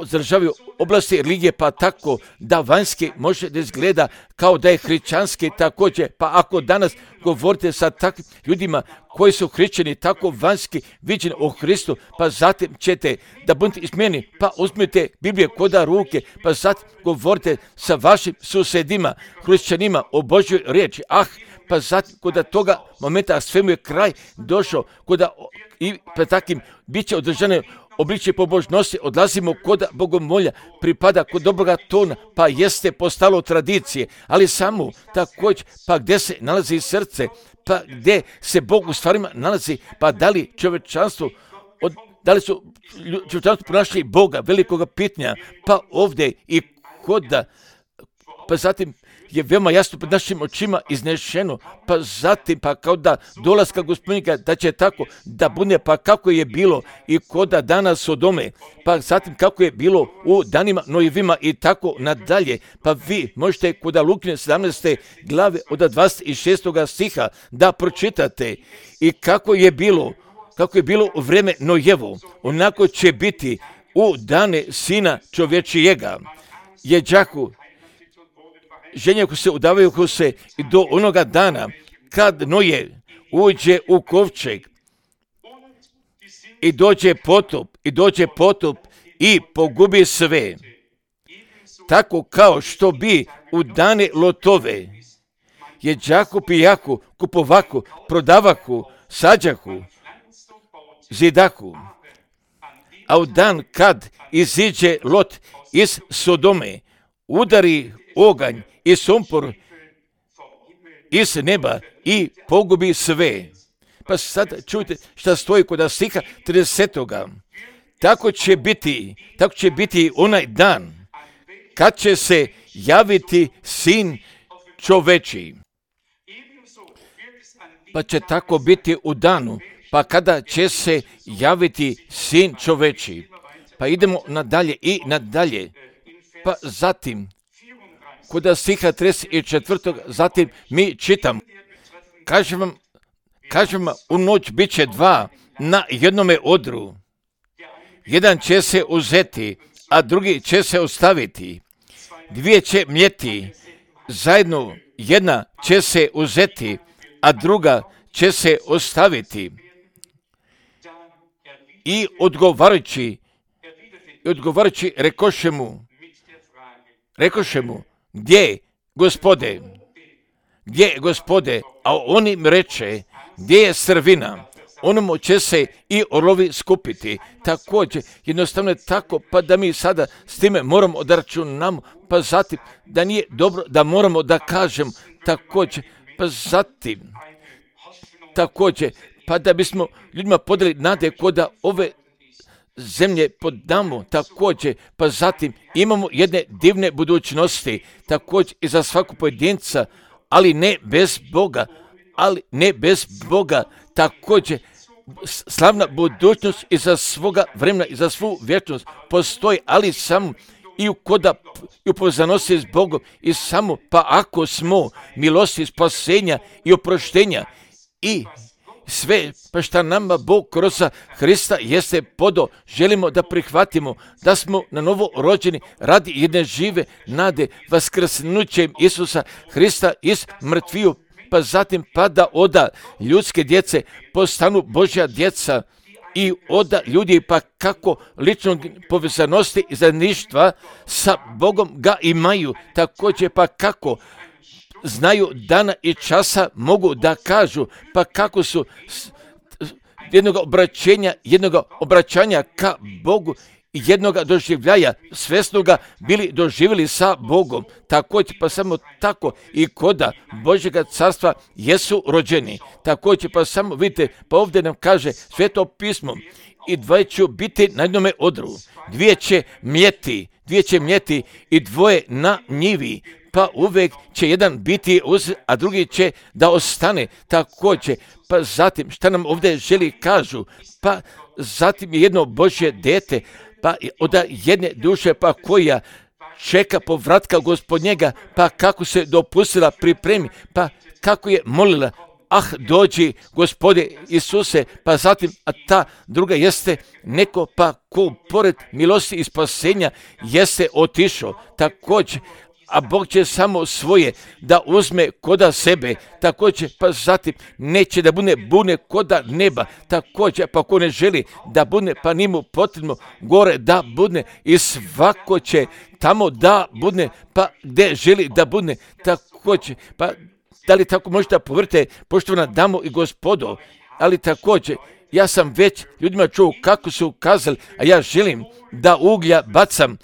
zadržavaju oblasti religije, pa tako da vanjski može da izgleda kao da je hrišćanski također, pa ako danas govorite sa takvim ljudima koji su hrišćani tako vanjski viđeni o Hristu, pa zatim ćete da budete izmijeni, pa uzmite Biblije koda ruke, pa zatim govorite sa vašim susjedima, hrišćanima o Božjoj riječi, ah, pa zatim kod toga momenta svemu je kraj došao, kod i pred takim bit će održane obličje pobožnosti, odlazimo kod bogomolja, pripada kod dobroga tona, pa jeste postalo tradicije, ali samo također, pa gdje se nalazi srce, pa gdje se Bog u stvarima nalazi, pa da li čovječanstvo, od, da li su čovječanstvo pronašli Boga, velikoga pitanja, pa ovdje i kod, pa zatim je veoma jasno pred našim očima iznešeno, pa zatim pa kao da dolaska Gospodnjega da će tako da bude, pa kako je bilo i koda dana Sodome, pa zatim kako je bilo u danima Nojevima i tako nadalje, pa vi možete kod Lukine sedamnaeste glave od dvadeset šestog stiha da pročitate i kako je bilo, kako je bilo u vreme Nojevo, onako će biti u dane Sina čovječijega. Jeđaku, ženje ko se udavaju ko se i do onoga dana kad Noje uđe u kovčeg i dođe potop i dođe potop i pogubi sve. Tako kao što bi u dane Lotove jeđaku, pijaku, kupovaku, prodavaku, sađaku, zidaku. A u dan kad iziđe Lot iz Sodome, udari oganj i sumpor iz neba i pogubi sve. Pa sad čujte šta stoji kod stiha tridesetoga. Tako će biti, tako će biti onaj dan kad će se javiti Sin čoveči. Pa će tako biti u danu, pa kada će se javiti Sin čoveči. Pa idemo nadalje i nadalje. Pa zatim kod stiha trideset četvrtog zatim mi čitamo. Kažem vam, kažem vam, u noć bit će dva na jednome odru. Jedan će se uzeti, a drugi će se ostaviti. Dvije će mljeti, zajedno jedna će se uzeti, a druga će se ostaviti. I odgovarajući, odgovarajući rekoše mu, rekoše mu, gdje, Gospode, gdje, Gospode, a on im reče, gdje je srvina, onomu će se i orlovi skupiti. Također, jednostavno je tako, pa da mi sada s time moramo da računamo, pa zatim da nije dobro da moramo da kažem također, pa zatim, također, pa da bismo ljudima podali nade koda ove zemlje podamo također, pa zatim imamo jedne divne budućnosti, također i za svaku pojedinca, ali ne bez Boga, ali ne bez Boga, također slavna budućnost i za svoga vremena i za svu vječnost postoji, ali samo i u koda i u povezanosti s Bogom i samo pa ako smo milosti spasenja i oproštenja i sve pa šta nama Bog kroz Hrista jeste podo, želimo da prihvatimo da smo na novo rođeni radi jedne žive nade vaskrsnućem Isusa Hrista iz mrtviju, pa zatim pa da oda ljudske djece postanu Božja djeca i oda ljudi pa kako ličnog povezanosti i zajedništva sa Bogom ga imaju, također pa kako znaju dana i časa mogu da kažu, pa kako su jednog obraćenja, jednog obraćanja ka Bogu i jednog doživljaja svesnoga bili doživjeli sa Bogom. Također pa samo tako i koda Božjega carstva jesu rođeni. Također pa samo vidite, pa ovdje nam kaže Sveto pismo, i dvoje će biti na jednome odru, dvije će mljeti, dvije će mljeti i dvoje na njivi, pa uvijek će jedan biti uz, a drugi će da ostane. Također, pa zatim šta nam ovdje želi kažu, pa zatim je jedno Božje dete, pa od jedne duše pa koja čeka povratka Gospodnjega, pa kako se dopustila pripremi, pa kako je molila, ah dođi Gospode Isuse, pa zatim, a ta druga jeste neko pa ko pored milosti i spasenja jeste otišao. Također, a Bog će samo svoje da uzme koda sebe, također pa zatim neće da bude bune koda neba, također pa ko ne želi da bude, pa njemu potrebno gore da bude i svako će tamo da bude, pa gdje želi da bude, također, pa da li tako možete povrte, poštovana damo i gospodo, ali također ja sam već ljudima čuo kako su kazali, a ja želim da uglja bacam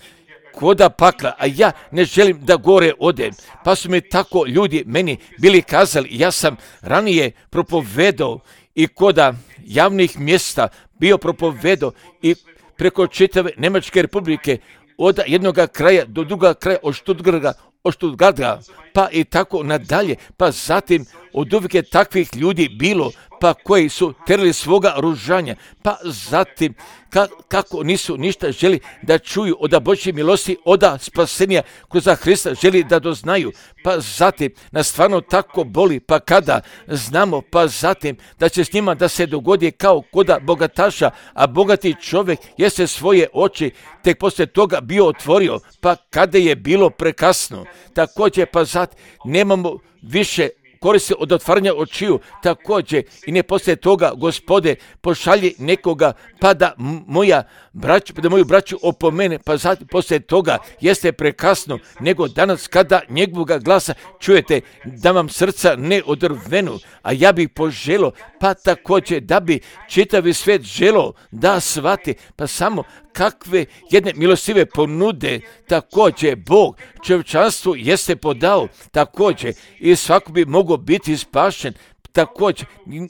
koda pakla, a ja ne želim da gore odem. Pa su mi tako ljudi meni bili kazali, ja sam ranije propovedao i koda javnih mjesta bio propovedao i preko čitave Njemačke republike od jednog kraja do druga kraja, od Stuttgarta, od Stuttgarta, pa i tako nadalje, pa zatim od uvijek je takvih ljudi bilo, pa koji su terali svoga ružanja, pa zatim ka, kako nisu ništa želi da čuju od Božje milosti, od spasenja kroz Hrista želi da doznaju, pa zatim nas stvarno tako boli, pa kada znamo, pa zatim da će s njima da se dogodi kao koda bogataša, a bogati čovjek jeste svoje oči tek poslije toga bio otvorio, pa kada je bilo prekasno, također pa zatim nemamo više koristi od otvaranja očiju, također i ne poslije toga, Gospode, pošalji nekoga pa da moja braću, da moju braću opomene, pa zatim poslije toga jeste prekasno, nego danas kada njegovoga glasa čujete da vam srca ne odrvenu, a ja bih poželo, pa također da bi čitavi svijet želo da shvati, pa samo kakve jedne milostive ponude također Bog čovječanstvu jeste podao, također i svako bi mogao biti spašen, također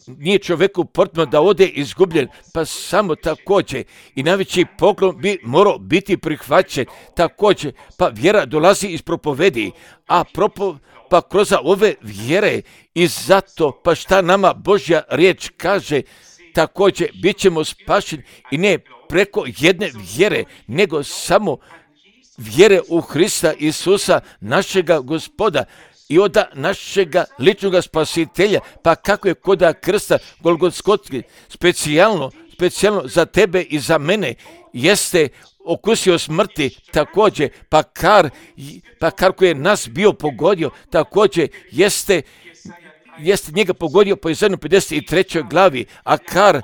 nije čovjeku potrebno da ode izgubljen, pa samo također i najveći poklon bi morao biti prihvaćen, također pa vjera dolazi iz propovedi, a propo, pa kroz ove vjere i zato pa šta nama Božja riječ kaže, također bit ćemo spašeni i ne preko jedne vjere, nego samo vjere u Hrista Isusa, našega Gospoda i od našega ličnog spasitelja, pa kako je koda krsta Golgotskotski specijalno, specijalno za tebe i za mene jeste okusio smrti, također pa kar, pa kar koji je nas bio pogodio, također jeste jeste njega pogodio po Izajanu pedeset trećoj glavi, a kar,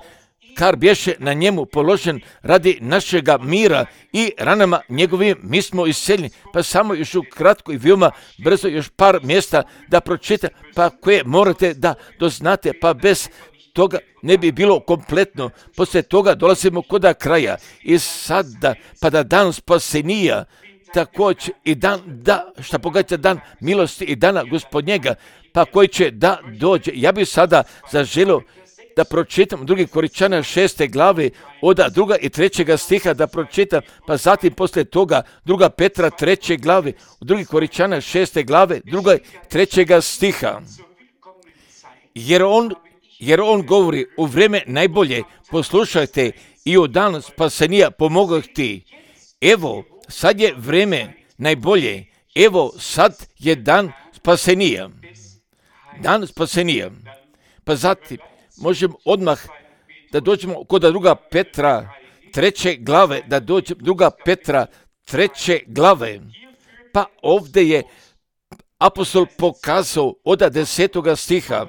kar bješe na njemu položen radi našega mira i ranama njegovim mi smo iseljeni. Pa samo još u kratko i veoma brzo još par mjesta da pročita, pa koje morate da doznate, pa bez toga ne bi bilo kompletno. Poslije toga dolazimo koda kraja i sada pa da dan spasenija, također i dan, da, šta pogađa dan milosti i dana Gospodnjega, pa koji će da dođe. Ja bih sada zaželio da pročitam drugi Koričana šeste glave od druga i trećega stiha da pročitam, pa zatim poslije toga druga Petra treće glave, od drugi Koričana šeste glave, druga i trećega stiha. Jer on, jer on govori u vrijeme najbolje, poslušajte i u dan spasenija pomogu ti. Evo, sad je vrijeme najbolje, evo sad je dan spasenija. Dan spasenija. Pa zatim, možemo odmah da dođemo kod druga Petra treće glave, da dođemo druga Petra treće glave. Pa ovdje je apostol pokazao od desetoga stiha,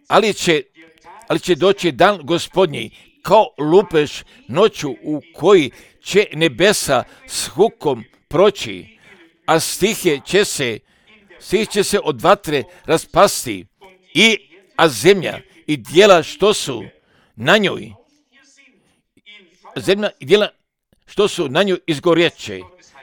ali će, ali će doći dan Gospodnji kao lupež noću u koji će nebesa s hukom proći, a stihe će se, stih će se od vatre raspasti, i, a zemlja i dijela što su na njoj, zemlja i dijela što su na njoj izgorjeće.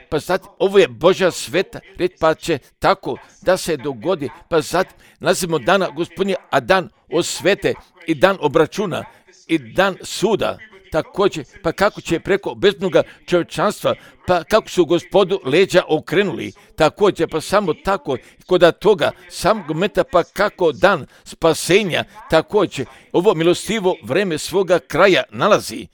Pa zatim, ovo je Božja sveta reč, pa će tako da se dogodi. Pa zatim, nalazimo dana Gospodnje, a dan osvete i dan obračuna i dan suda. Također, pa kako će preko bezbnoga čovječanstva, pa kako su Gospodu leđa okrenuli, također, pa samo tako, kod toga samog momenta, pa kako dan spasenja, također, ovo milostivo vreme svoga kraja nalazi.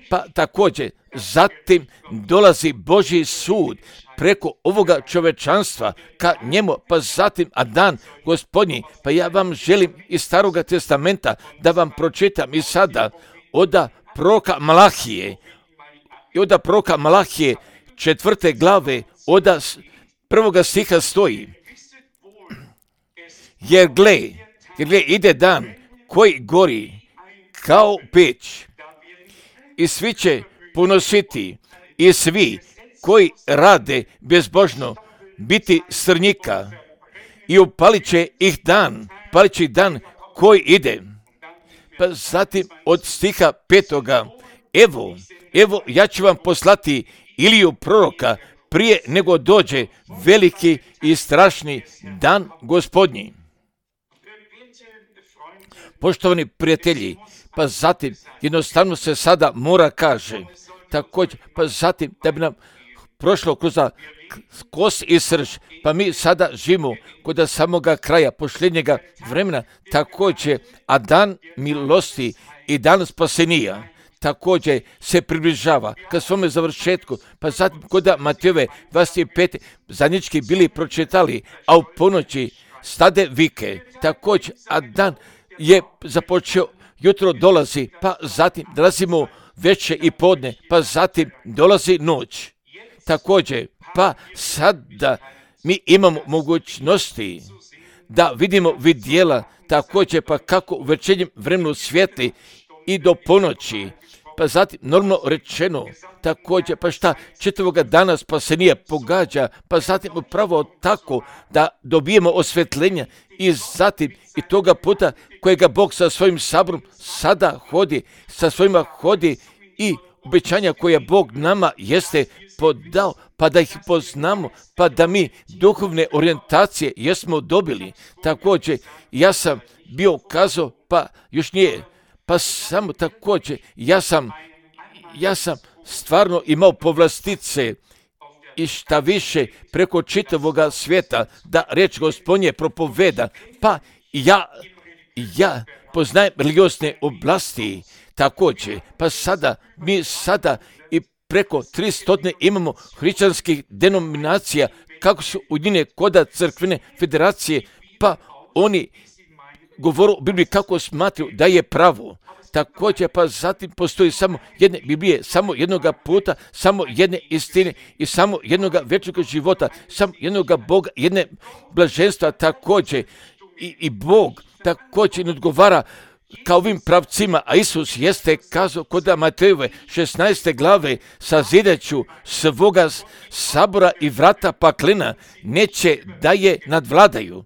Pa također, zatim dolazi Božji sud preko ovoga čovečanstva ka njemu, pa zatim, a dan Gospodnji, pa ja vam želim iz Staroga testamenta da vam pročitam i sada oda proroka Malahije, i oda proroka Malahije četvrte glave, oda prvoga stiha stoji, jer gle, jer gle ide dan koji gori kao peć, i svi će ponositi, i svi koji rade bezbožno biti strnjika, i upalit će ih dan, palit će ih dan koji ide. Pa zatim od stiha petoga, evo, evo ja ću vam poslati Iliju proroka prije nego dođe veliki i strašni dan Gospodnji. Poštovani prijatelji, pa zatim jednostavno se sada mora kaže, također, pa zatim da bi nam prošlo kroz kost i srž, pa mi sada živimo kod samoga kraja posljednjega vremena, također, a dan milosti i dan spasenija također se približava ka svome završetku, pa zatim kod Matejove dvadeset pete zajednički bili pročitali, a u ponoći stade vike, također, a dan je započeo, jutro dolazi, pa zatim dolazimo večer i podne, pa zatim dolazi noć. Također, pa sada mi imamo mogućnosti da vidimo vidjela, također, pa kako u večernjem vremenu svijetli i do ponoći, pa zatim normalno rečeno, također, pa šta četvrtoga dana spasenija pogađa, pa zatim upravo tako da dobijemo osvjetljenja i zatim i toga puta kojega Bog sa svojim saborom sada hodi, sa svojima hodi i obećanja koje Bog nama jeste podao, pa da ih poznamo, pa da mi duhovne orijentacije jesmo dobili. Također, ja sam bio kazao, pa još nije, pa samo također, ja sam, ja sam stvarno imao povlastice i šta više preko čitavoga svijeta da reč Gospodnje propoveda, pa ja, ja poznajem religiozne oblasti također, pa sada, mi sada i preko tristo imamo hrišćanskih denominacija, kako su ujedinjene kod crkvene federacije, pa oni govoru u Bibliji kako smatruju da je pravo. Također, pa zatim postoji samo jedne Biblije, samo jednoga puta, samo jedne istine i samo jednoga vječnog života, samo jednoga Boga, jedne blaženstva također. I, i Bog također ne odgovara kao ovim pravcima, a Isus jeste kazao kod Matejove šesnaeste glave, sazideću svoga sabora i vrata paklena neće da je nadvladaju.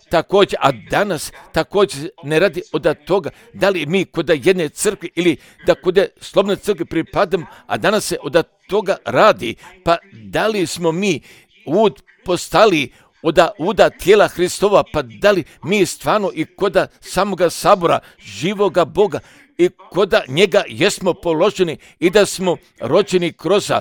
Također, a danas također ne radi od toga da li mi kod jedne crkve ili da kod slobodne crkve pripadamo, a danas se od toga radi, pa da li smo mi ud postali od uda tijela Hristova, pa da li mi stvarno i kod samoga sabora živoga Boga i kod njega jesmo položeni i da smo rođeni kroz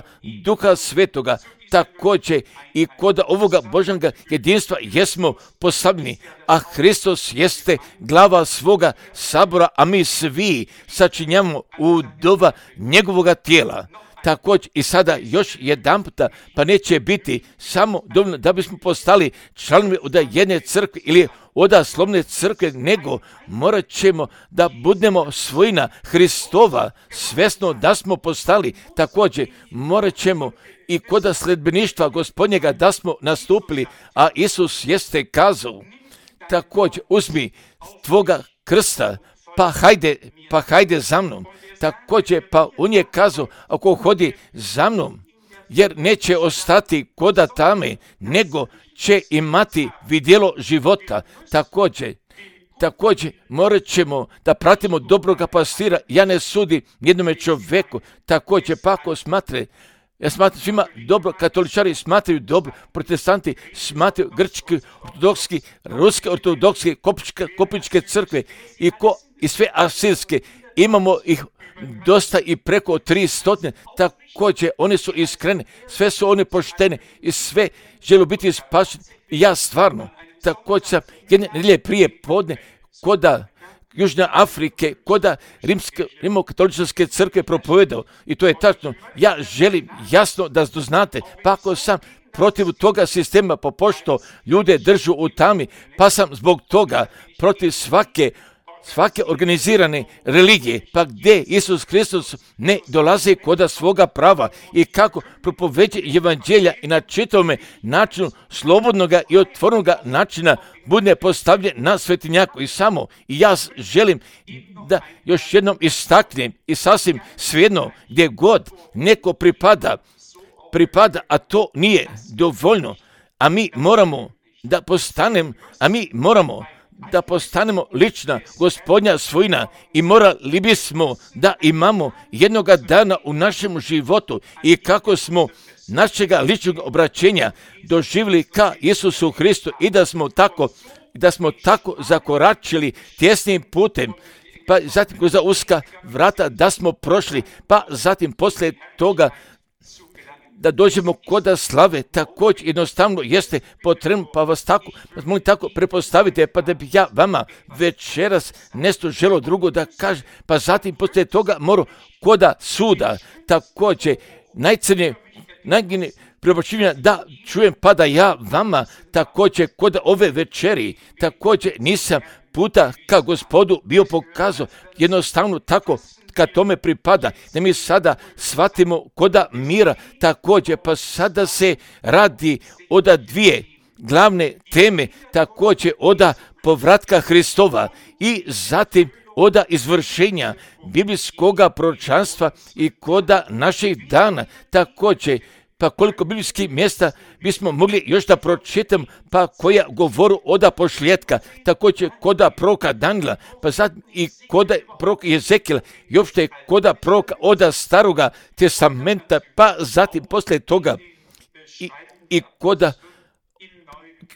Duha Svetoga, također i kod ovoga Božjega jedinstva jesmo postavljeni, a Hristos jeste glava svoga sabora, a mi svi sačinjamo udova njegovoga tijela. Također i sada još jedan puta, pa neće biti samo dovoljno da bismo postali članovi od jedne crkve ili od slovne crkve, nego morat ćemo da budemo svojina Hristova, svjesno da smo postali. Također morat ćemo i kod sledbeništva Gospodnjega da smo nastupili, a Isus jeste kazao, također uzmi tvoga krsta, pa hajde, pa hajde za mnom. Također, pa on je kazao, ako hodi za mnom, jer neće ostati koda tame, nego će imati vidjelo života. Također, također morat ćemo da pratimo dobroga pastira. Ja ne sudim jednome čovjeku. Također, pa ako smatre, ja smatram svima dobro, katoličari smatraju dobro, protestanti smatraju grčki, ortodokski, ruske ortodokske, kopičke, kopičke crkve i, ko, i sve asirske. Imamo ih dosta i preko tri stotine. Također, one su iskrene, sve su one poštene i sve žele biti spašeni. I ja stvarno, također sam jedne nedjelje prije podne koda Južne Afrike, koda rimske, rimokatoličke crkve propovedao. I to je tačno. Ja želim jasno da znate, pa ako sam protiv toga sistema, po pošto ljude držu u tami, pa sam zbog toga protiv svake svake organizirane religije, pa gdje Isus Hristos ne dolazi koda svoga prava i kako propoveđe evanđelja i na čitavome načinu slobodnoga i otvornoga načina bude postavljen na svetinjaku. I samo i ja želim da još jednom istaknem i sasvim svejedno gdje god neko pripada, pripada, a to nije dovoljno, a mi moramo da postanem, a mi moramo da postanemo lična Gospodnja svojina i morali bismo da imamo jednoga dana u našem životu i kako smo našega ličnog obraćenja doživjeli ka Isusu Hristu i da smo tako, da smo tako zakoračili tjesnim putem, pa zatim kroz uska vrata da smo prošli, pa zatim poslije toga da dođemo koda slave. Također jednostavno jeste potrebno, pa vas tako, vas molim tako prepostavite, pa da bi ja vama večeras nešto želo drugo da kaže, pa zatim poslije toga moram koda suda, također najcrnije, najgine preobraćivanja da čujem, pa da ja vama također koda ove večeri, također nisam puta ka Gospodu bio pokazao, jednostavno tako kad tome pripada, da mi sada shvatimo koda mira također, pa sada se radi oda dvije glavne teme, također oda povratka Hristova i zatim oda izvršenja biblijskoga proročanstva i koda naših dana. Također, pa koliko biblijskih mjesta bismo mogli još da pročitam, pa koja govoru oda pošljetka, također koda proroka Danila, pa zatim i koda proroka Jezekila, i uopšte koda proroka oda staroga testamenta, pa zatim poslije toga i, i koda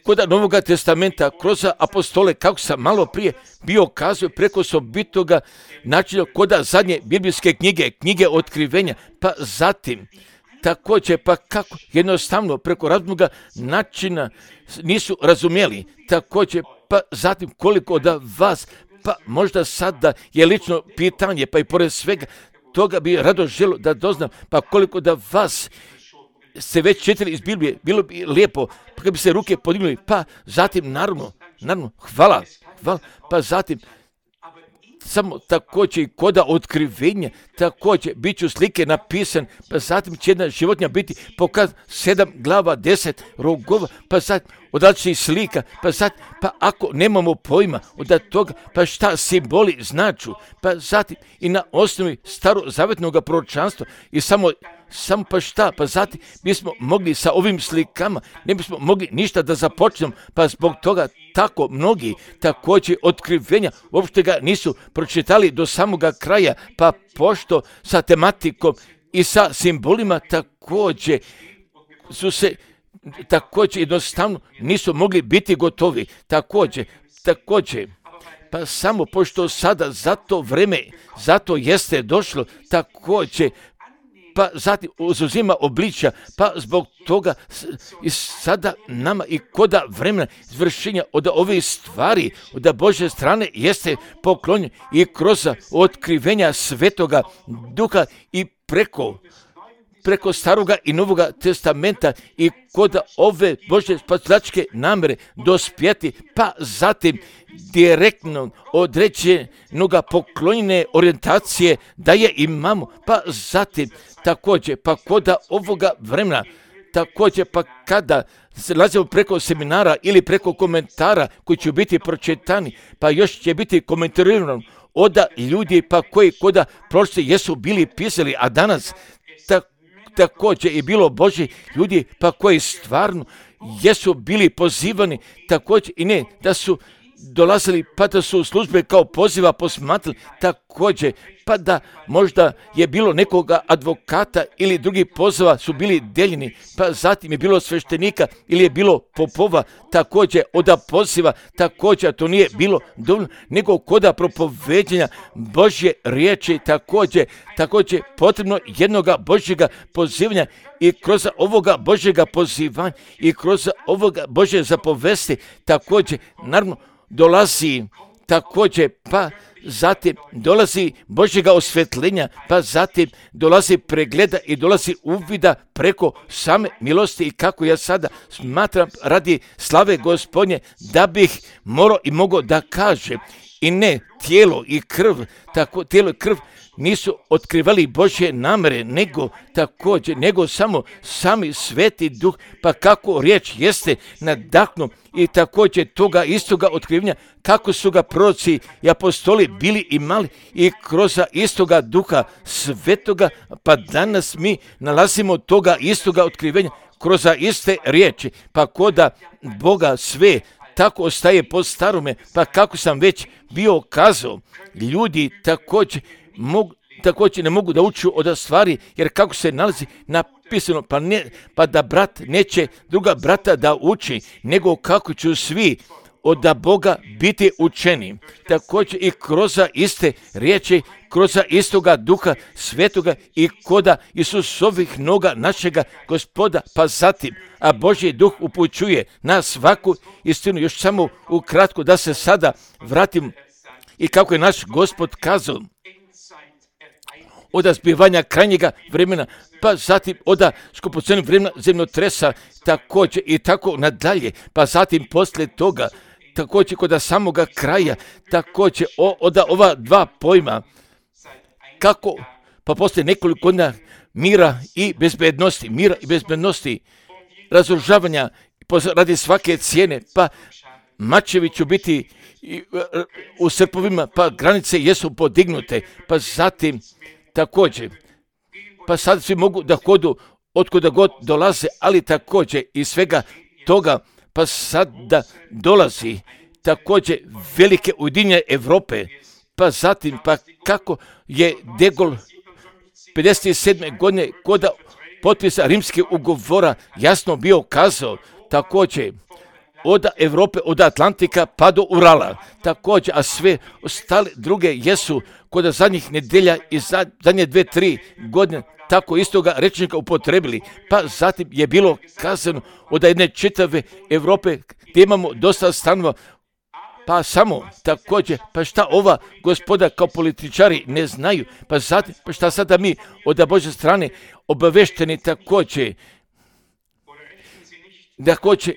koda Novoga testamenta kroz apostole, kako sam malo prije bio kazao preko sobitoga načina koda zadnje biblijske knjige, knjige otkrivenja, pa zatim također, pa kako jednostavno preko raznoga načina nisu razumjeli, također, pa zatim koliko da vas, pa možda sada je lično pitanje, pa i pored svega toga bi rado želio da doznam, pa koliko da vas ste već čitali iz Biblije, bilo bi lijepo, pa kad bi se ruke podignuli, pa zatim naravno, naravno, hvala, hvala, pa zatim samo također i koda otkrivenja, također bit ću slike napisan, pa zatim će jedna životinja biti pokaz sedam glava, deset rogova, pa zatim od različitih slika, pa zatim, pa ako nemamo pojma od toga, pa šta simboli značu, pa zatim i na osnovi starozavjetnog proročanstva i samo Samo pa šta, pa zatim bismo mogli sa ovim slikama, ne bismo mogli ništa da započnemo, pa zbog toga tako mnogi također otkrivenja uopšte ga nisu pročitali do samoga kraja, pa pošto sa tematikom i sa simbolima također su se također jednostavno nisu mogli biti gotovi, također, također. Pa samo pošto sada za to vreme, zato jeste došlo također, pa zatim uzuzima obličja, pa zbog toga i sada nama i koda vremena izvršenja od ove stvari, od Božje strane jeste poklonjen i kroz otkrivenja Svetoga Duha i preko preko Staroga i Novoga testamenta i kod ove Božje spasilačke namere dospjeti, pa zatim direktno određenoga poklonjene orijentacije da je imamo, pa zatim također pa kod ovoga vremena, također pa kada se nalazimo preko seminara ili preko komentara koji će biti pročitani, pa još će biti komentarirano od ljudi pa koji koda prošli jesu bili pisali, a danas ta, također je bilo Božji ljudi pa koji stvarno jesu bili pozivani, također i ne da su dolazili pa da su službe kao poziva posmatrali, također pa da možda je bilo nekoga advokata ili drugih poziva su bili deljeni, pa zatim je bilo sveštenika ili je bilo popova, također od poziva, također to nije bilo dovoljno, nego koda propoveđenja Božje riječi, također, također potrebno jednoga Božjega pozivanja i kroz ovoga Božjega pozivanja i kroz ovoga Božje zapovesti, također, naravno, dolazi također, pa zatim dolazi Božjega osvjetljenja, pa zatim dolazi pregleda i dolazi uvida preko same milosti i kako ja sada smatram radi slave Gospodnje da bih morao i mogao da kažem i ne tijelo i krv, tako tijelo i krv nisu otkrivali Božje namere, nego također, nego samo sami Sveti Duh, pa kako riječ jeste nadahnu i također toga istoga otkrivanja, kako su ga proroci i apostoli bili imali i kroz istoga Duha Svetoga, pa danas mi nalazimo toga istoga otkrivenja kroz iste riječi, pa koda Boga sve tako ostaje po starome, pa kako sam već bio kazao, ljudi također mogu, također ne mogu da uču od stvari, jer kako se nalazi napisano, pa, ne, pa da brat neće druga brata da uči, nego kako će svi od Boga biti učeni. Također i kroz iste riječi, kroz istoga Duha Svetoga i koda Isusovih noga našega Gospoda, pa zatim, a Božji Duh upućuje na svaku istinu. Još samo ukratko da se sada vratim i kako je naš Gospod kazao, od zbivanja krajnjega vremena, pa zatim od skupocenog vremena zemljotresa, također i tako nadalje, pa zatim poslije toga, također kod samoga kraja, također od ova dva pojma, kako, pa poslije nekoliko godina mira i bezbednosti, mira i bezbednosti, razoružavanja radi svake cijene, pa mačevi će biti u srpovima, pa granice jesu podignute, pa zatim također, pa sad svi mogu da hodu otkuda god dolaze, ali također i svega toga, pa sad da dolazi također velike ujedinjenje Europe, pa zatim, pa kako je De Gaulle pedeset sedme godine kod potpisa rimskih ugovora jasno bio kazao, također od Europe, od Atlantika pa do Urala, također, a sve ostale druge jesu kod zadnjih nedelja i zadnje dve, tri godine tako istoga rečnika upotrebili, pa zatim je bilo kazano od jedne čitave Europe gdje imamo dosta stanova, pa samo također, pa šta ova gospoda kao političari ne znaju, pa zatim, pa šta sada mi od Božje strane obavešteni također, također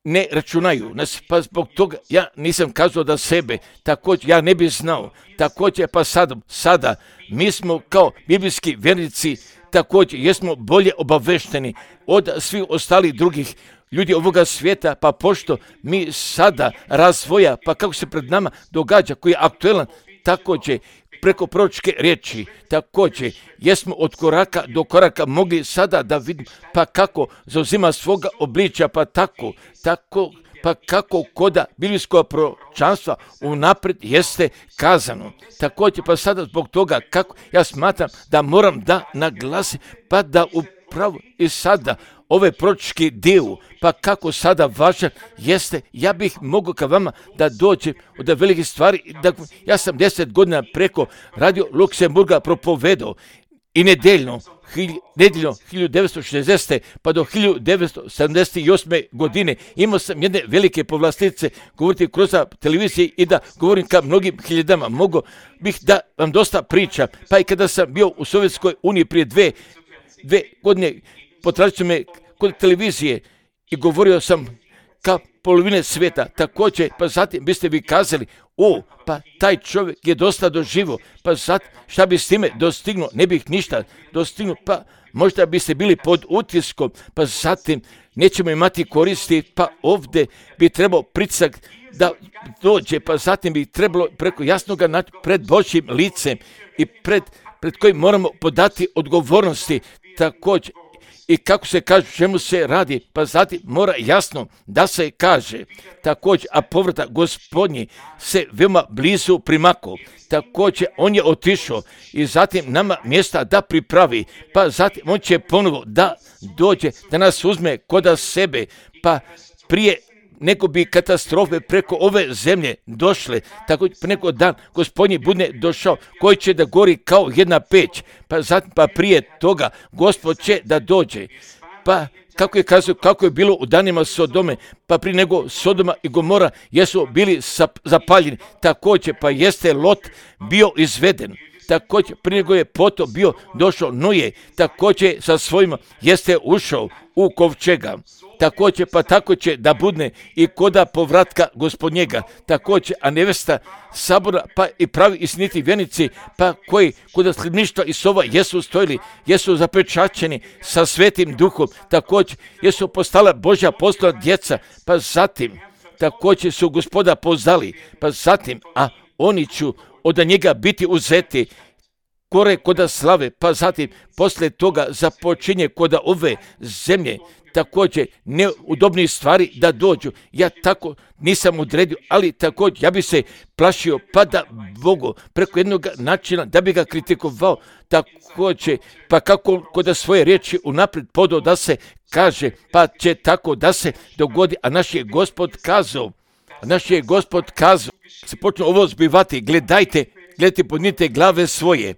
ne računaju nas, pa zbog toga ja nisam kazao da sebe, također ja ne bih znao, također pa sad, sada mi smo kao biblijski vjernici, također jesmo bolje obavešteni od svih ostalih drugih ljudi ovoga svijeta, pa pošto mi sada razvoja, pa kako se pred nama događa, koji je aktuelan, također preko proročke riječi, također jesmo od koraka do koraka mogli sada da vidimo, pa kako zauzima svoga obličja, pa tako, tako, pa kako koda biblijskog proročanstva unaprijed jeste kazano. Također pa sada zbog toga kako ja smatram da moram da naglasim, pa da upravo i sada ove proročki dio, pa kako sada važan jeste, ja bih mogao ka vama da dođem od velikih stvari. Da, ja sam deset godina preko Radio Luksemburga propovedao i nedeljno, nedeljno hiljadu devetsto šezdesete pa do hiljadu devetsto sedamdeset osme godine imao sam jedne velike povlastice govoriti kroz televizije i da govorim ka mnogim hiljadama. Mogao bih da vam dosta priča, pa i kada sam bio u Sovjetskoj uniji prije dve dve godine potražili me kod televizije i govorio sam ka polovine svijeta. Također, pa zatim biste vi kazali, o, pa taj čovjek je dosta doživo, pa zatim šta bi s time dostignuo, ne bih ništa dostignuo, pa možda biste bili pod utiskom, pa zatim nećemo imati koristi, pa ovdje bi trebao pritisak da dođe, pa zatim bi trebalo preko jasnoga naći pred Božjim licem i pred, pred kojim moramo podati odgovornosti također. I kako se kaže, čemu se radi, pa zatim mora jasno da se kaže također, a povratak Gospodnji se veoma blizu primakao. Također, on je otišao i zatim nama mjesta da pripravi, pa zatim on će ponovo da dođe, da nas uzme koda sebe, pa prije nego bi katastrofe preko ove zemlje došle, tako neko dan Gospodnji bude došao, koji će da gori kao jedna peć, pa zatim pa prije toga Gospod će da dođe. Pa kako je kazao, kako je bilo u danima Sodome, pa prije nego Sodoma i Gomora jesu bili zapaljeni, također pa jeste Lot bio izveden. Također, prije nego je potom bio došao Noje, također sa svojima jeste ušao u kovčega. Također, pa tako će da budne i koda povratka Gospodnjega. Također, a nevesta sabora, pa i pravi istiniti vjernici, pa koji koda sljedništva i sova jesu stojili, jesu zapečaćeni sa Svetim Duhom, također jesu postala Božja apostola djeca, pa zatim također su Gospoda poznali, pa zatim, a oni će od njega biti uzeti kore koda slave, pa zatim poslije toga započinje koda ove zemlje također neudobnih stvari da dođu. Ja tako nisam odredio, ali također ja bi se plašio pa da Bogu preko jednog načina da bi ga kritikovao također, pa kako koda svoje riječi unaprijed podao da se kaže, pa će tako da se dogodi, a naš je Gospod kazao, a naš je Gospod kazao, se počne ovo zbivati, gledajte, gledajte, podnite glave svoje,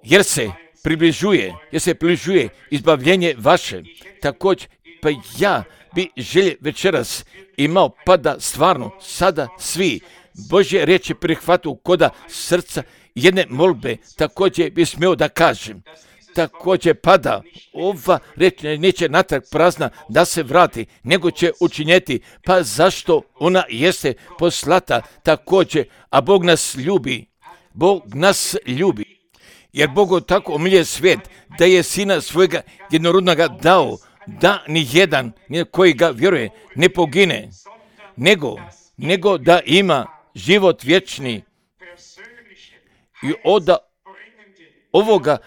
jer se približuje, jer se približuje izbavljenje vaše. Također, pa ja bi želje večeras imao, pa da stvarno sada svi Božje riječi prihvatu koda srca jedne molbe, također bi smio da kažem. Također pada ova reč neće natrag prazna da se vrati, nego će učinjeti, pa zašto ona jeste poslata također, a Bog nas ljubi, Bog nas ljubi, jer Bog tako omilje svijet da je sina svojega jednorodnoga dao, da ni jedan koji ga vjeruje ne pogine, nego, nego da ima život vječni. I od ovoga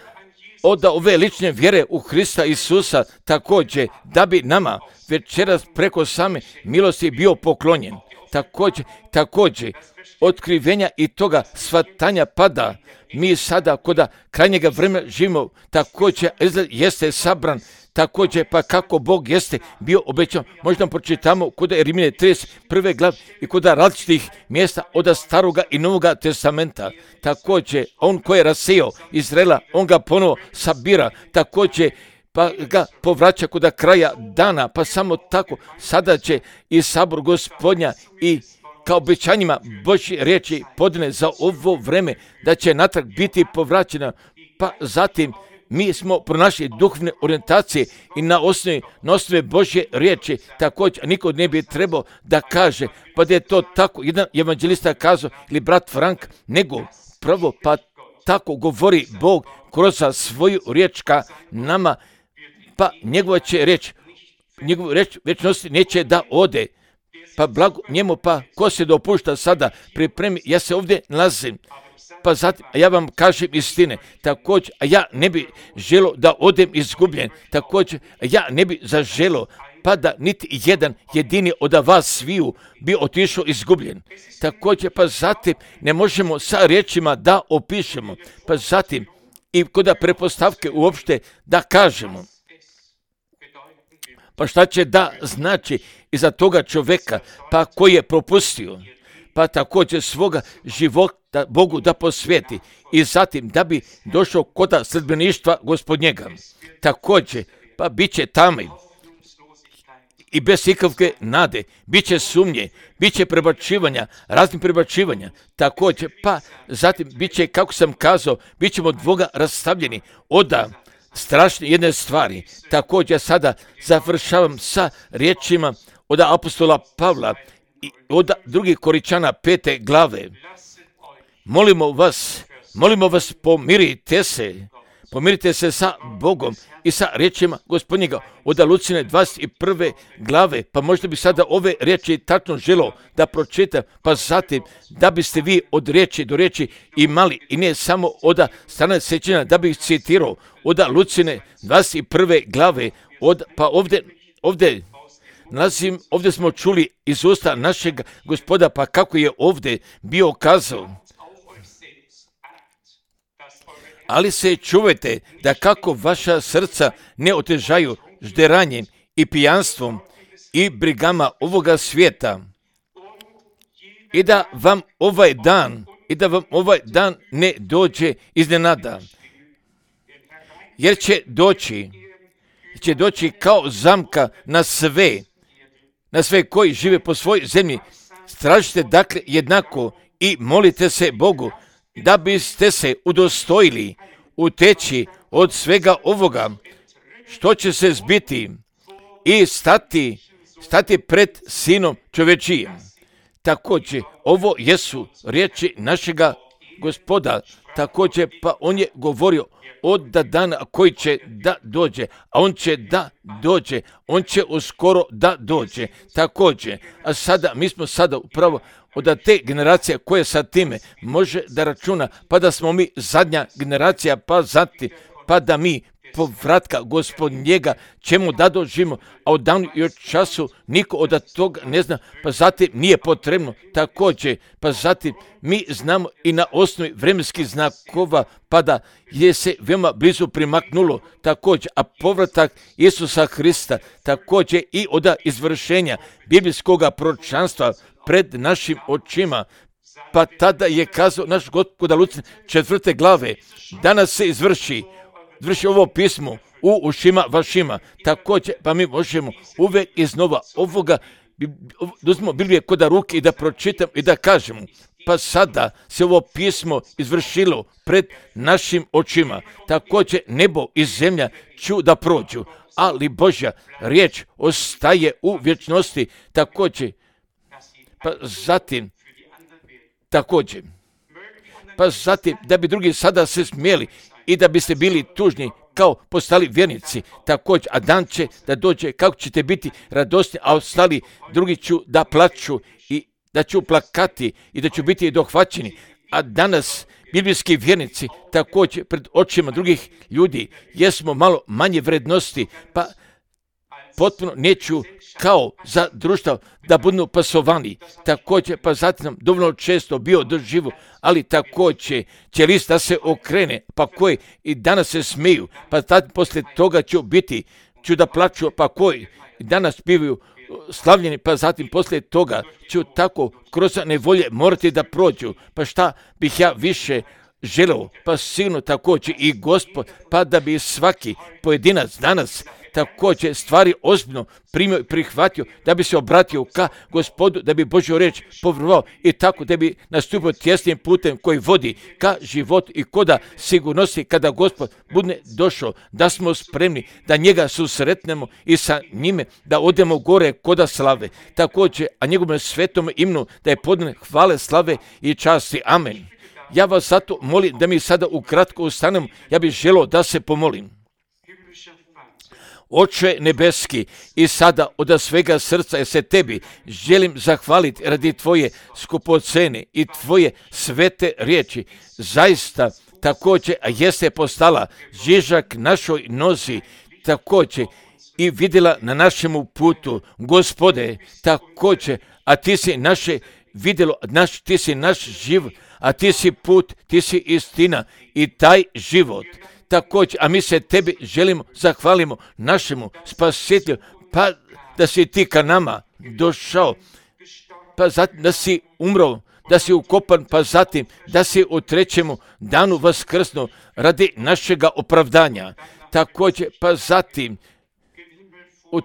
od ove lične vjere u Hrista Isusa također da bi nama večeras preko same milosti bio poklonjen. Također, također otkrivenja i toga shvatanja pada. Mi sada koda krajnjega vremena živimo, također jeste sabran, također pa kako Bog jeste bio obećan. Možda pročitamo kod Rimljane trideset prve glave i kod različitih mjesta od staroga i novoga testamenta. Također on koji je rasijao Izraela, on ga ponovo sabira, također pa ga povraća kod kraja dana, pa samo tako sada će i sabor Gospodnja i kao obećanjima Božje riječi podne za ovo vreme da će natrag biti povraćena, pa zatim mi smo pronašli duhovne orijentacije i na osnovi, na osnovi Božje riječi također niko ne bi trebao da kaže pa da je to tako jedan evanđelista kazao ili brat Frank, nego pravo pa tako govori Bog kroz svoju riječ ka nama, pa njegova će riječ, njegovu riječ večnosti neće da ode, pa blago njemu, pa ko se dopušta sada pripremi, ja se ovdje nalazim, pa zatim, a ja vam kažem istine, također, a ja ne bi želo da odem izgubljen, također, a ja ne bi zaželo, pa da niti jedan jedini od vas sviju bi otišao izgubljen. Također, pa zatim, ne možemo sa riječima da opišemo, pa zatim, i kod prepostavke uopšte da kažemo. Pa šta će da znači iza toga čovjeka, pa koji je propustio, pa također svoga života Bogu da posvijeti i zatim da bi došao kod sledbeništva Gospodnjega. Također, pa bit će tame i bez ikakve nade, bit će sumnje, bit će prebačivanja, raznih prebačivanja, također, pa zatim bit će, kako sam kazao, bit ćemo od Boga rastavljeni, oda strašne jedne stvari. Također sada završavam sa riječima od apostola Pavla i od drugih Koričana pete glave. Molimo vas, molimo vas, pomirite se, pomirite se sa Bogom i sa riječima Gospodnjega od Lucine dvadeset prve glave, pa možda bi sada ove riječi tačno želio da pročitam, pa zatim da biste vi od riječi do riječi imali i ne samo od strane sjećanja, da bih citirao od Lucine dvadeset prve glave, od, pa ovdje, ovdje nalazim, ovdje smo čuli iz usta našeg Gospoda, pa kako je ovdje bio kazao. Ali se čuvajte da kako vaša srca ne otežaju žderanjem i pijanstvom i brigama ovoga svijeta i da vam ovaj dan i da vam ovaj dan ne dođe iznenada, jer će doći će doći kao zamka na sve na sve koji žive po svojoj zemlji. Stražite dakle jednako i molite se Bogu da biste se udostojili uteći od svega ovoga što će se zbiti i stati, stati pred Sinom čovječijim. Također, ovo jesu riječi našega Gospoda, također pa on je govorio od dana koji će da dođe, a on će da dođe, on će uskoro da dođe. Također, a sada, mi smo sada upravo od te generacije koje sa time može da računa, pa da smo mi zadnja generacija, pa zatim, pa da mi povratka Gospodnjega čemu da doživimo, a od danu i od času niko od toga ne zna, pa zatim nije potrebno također, pa zatim mi znamo i na osnovi vremenskih znakova, pa da je se veoma blizu primaknulo također, a povratak Isusa Hrista također i od izvršenja biblijskog proročanstva pred našim očima, pa tada je kazao naš Gospod Lucine četvrte glave, danas se izvrši Vrši ovo pismo u ušima vašima. Također, pa mi možemo uvijek iznova ovoga, uzmemo Biblije kod ruke i da pročitam i da kažemo, pa sada se ovo pismo izvršilo pred našim očima. Također, nebo i zemlja ću da prođu, ali Božja riječ ostaje u vječnosti. Također, pa zatim, također, pa zatim, da bi drugi sada se smijeli i da biste bili tužni kao postali vjernici, također, a dan će da dođe kako ćete biti radosni, a ostali drugi ću da plaću i da ću plakati i da ću biti dohvaćeni. A danas biblijski vjernici također pred očima drugih ljudi jesmo malo manje vrednosti, pa potpuno neću kao za društvo da budu pasovani. Također, pa zatim nam dovoljno često bio doživu, ali također će list da se okrene, pa koji i danas se smiju, pa tad poslije toga ću biti, ću da plaću, pa koji i danas bivaju slavljeni, pa zatim poslije toga ću tako kroz nevolje morati da prođu. Pa šta bih ja više želeo, pa sigurno također i Gospod, pa da bi svaki pojedinac danas također stvari ozbiljno primio i prihvatio, da bi se obratio ka Gospodu, da bi Božju riječ povjerovao i tako da bi nastupio tjesnim putem koji vodi ka životu i koda sigurnosti kada Gospod bude došao, da smo spremni da njega susretnemo i sa njime da odemo gore koda slave. Također, a njegovom svetom imenu da je podane hvale, slave i časti. Amen. Ja vas zato molim da mi sada ukratko ustanemo, ja bih želio da se pomolim. Oče nebeski, i sada od svega srca ja se tebi želim zahvaliti radi tvoje skupocene i tvoje svete riječi. Zaista također jeste postala žižak našoj nozi, također i vidjela na našemu putu. Gospode, također, a ti si naše vidjelo, naš, ti si naš život, a ti si put, ti si istina i taj život. Također, a mi se tebi želimo, zahvalimo našemu spasitelju, pa da si ti ka nama došao, pa zatim da si umro, da si ukopan, pa zatim da si u trećemu danu vaskrsnuo radi našega opravdanja. Također, pa zatim u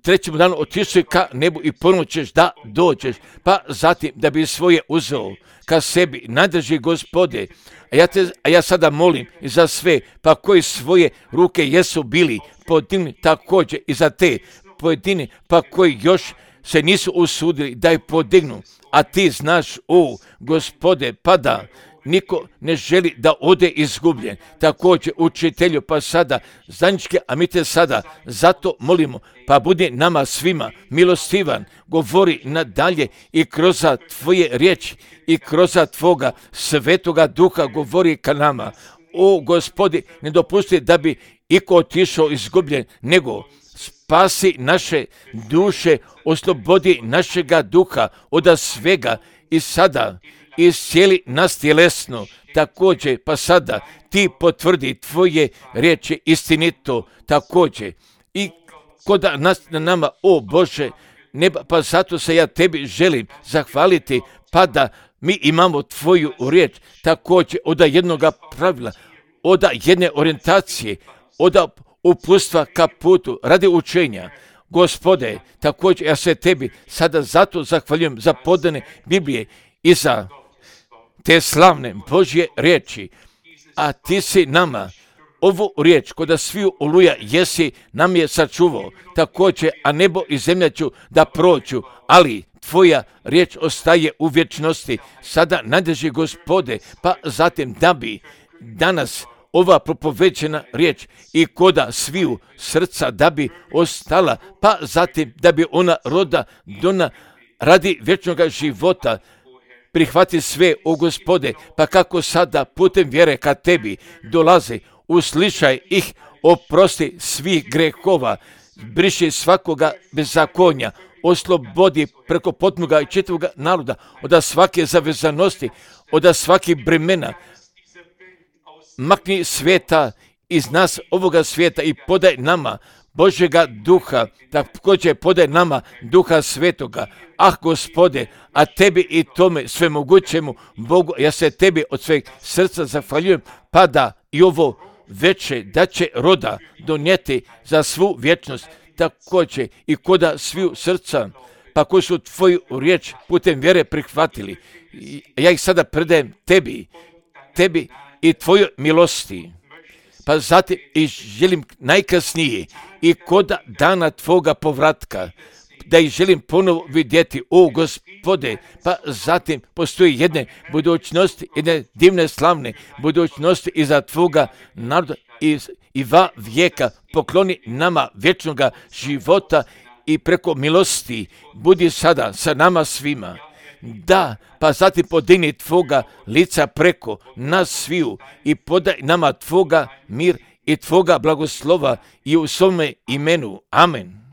trećem danu otišli ka nebu i ponovno ćeš da dođeš, pa zatim da bi svoje uzeo ka sebi, nadrži Gospode. A ja, te, a ja sada molim i za sve, pa koji svoje ruke jesu bili podigni također i za te pojedine, pa koji još se nisu usudili da ih podignu. A ti znaš, o Gospode, pa da niko ne želi da ode izgubljen. Također, učitelju, pa sada zajednički, a mi te sada zato molimo, pa budi nama svima milostivan, govori nadalje i kroz tvoje riječi i kroz tvoga svetoga duha govori ka nama. O Gospodi, ne dopusti da bi iko otišao izgubljen, nego spasi naše duše, oslobodi našega duha od svega i sada iscijeli nas tjelesno. Također, pa sada ti potvrdi tvoje riječi istinito također i kod nas na nama, o Bože, neba, pa zato se ja tebi želim zahvaliti, pa da mi imamo tvoju riječ također od jednoga pravila, od jedne orijentacije, od upustva ka putu radi učenja. Gospode, također ja se tebi sada zato zahvaljujem za podane Biblije i za te slavne Božje riječi, a ti si nama ovu riječ koda sviju oluja jesi nam je sačuvao, također, a nebo i zemlja ću da prođu, ali tvoja riječ ostaje u vječnosti. Sada nadrži Gospode, pa zatim da bi danas ova propovećena riječ i koda sviju srca da bi ostala, pa zatim da bi ona roda dona radi vječnoga života. Prihvati sve, o Gospode, pa kako sada putem vjere ka tebi dolaze, uslišaj ih, oprosti svih grehova, briši svakoga bezakonja, oslobodi preko potnoga i čitavoga naroda od svake zavezanosti, od svakih bremena. Makni sveta iz nas ovoga svijeta i podaj nama Božjega duha, također podaj nama duha svetoga. Ah, Gospode, a tebi i tome svemogućemu Bogu, ja se tebi od sveg srca zahvaljujem, pa da i ovo veče da će roda donijeti za svu vječnost, također i koda sviju srca, pa koji su tvoju riječ putem vjere prihvatili. Ja ih sada predajem tebi, tebi i tvojoj milosti. Pa zatim i želim najkasnije i koda dana tvoga povratka, da ih želim ponovo vidjeti, o Gospode, pa zatim postoji jedne budućnosti, jedne divne slavne budućnosti iza tvoga naroda i, i va vijeka pokloni nama vječnoga života i preko milosti budi sada sa nama svima. Da, pa zatim podigni tvoga lica preko nas sviju i podaj nama tvoga mir i tvoga blagoslova i u svome imenu. Amen.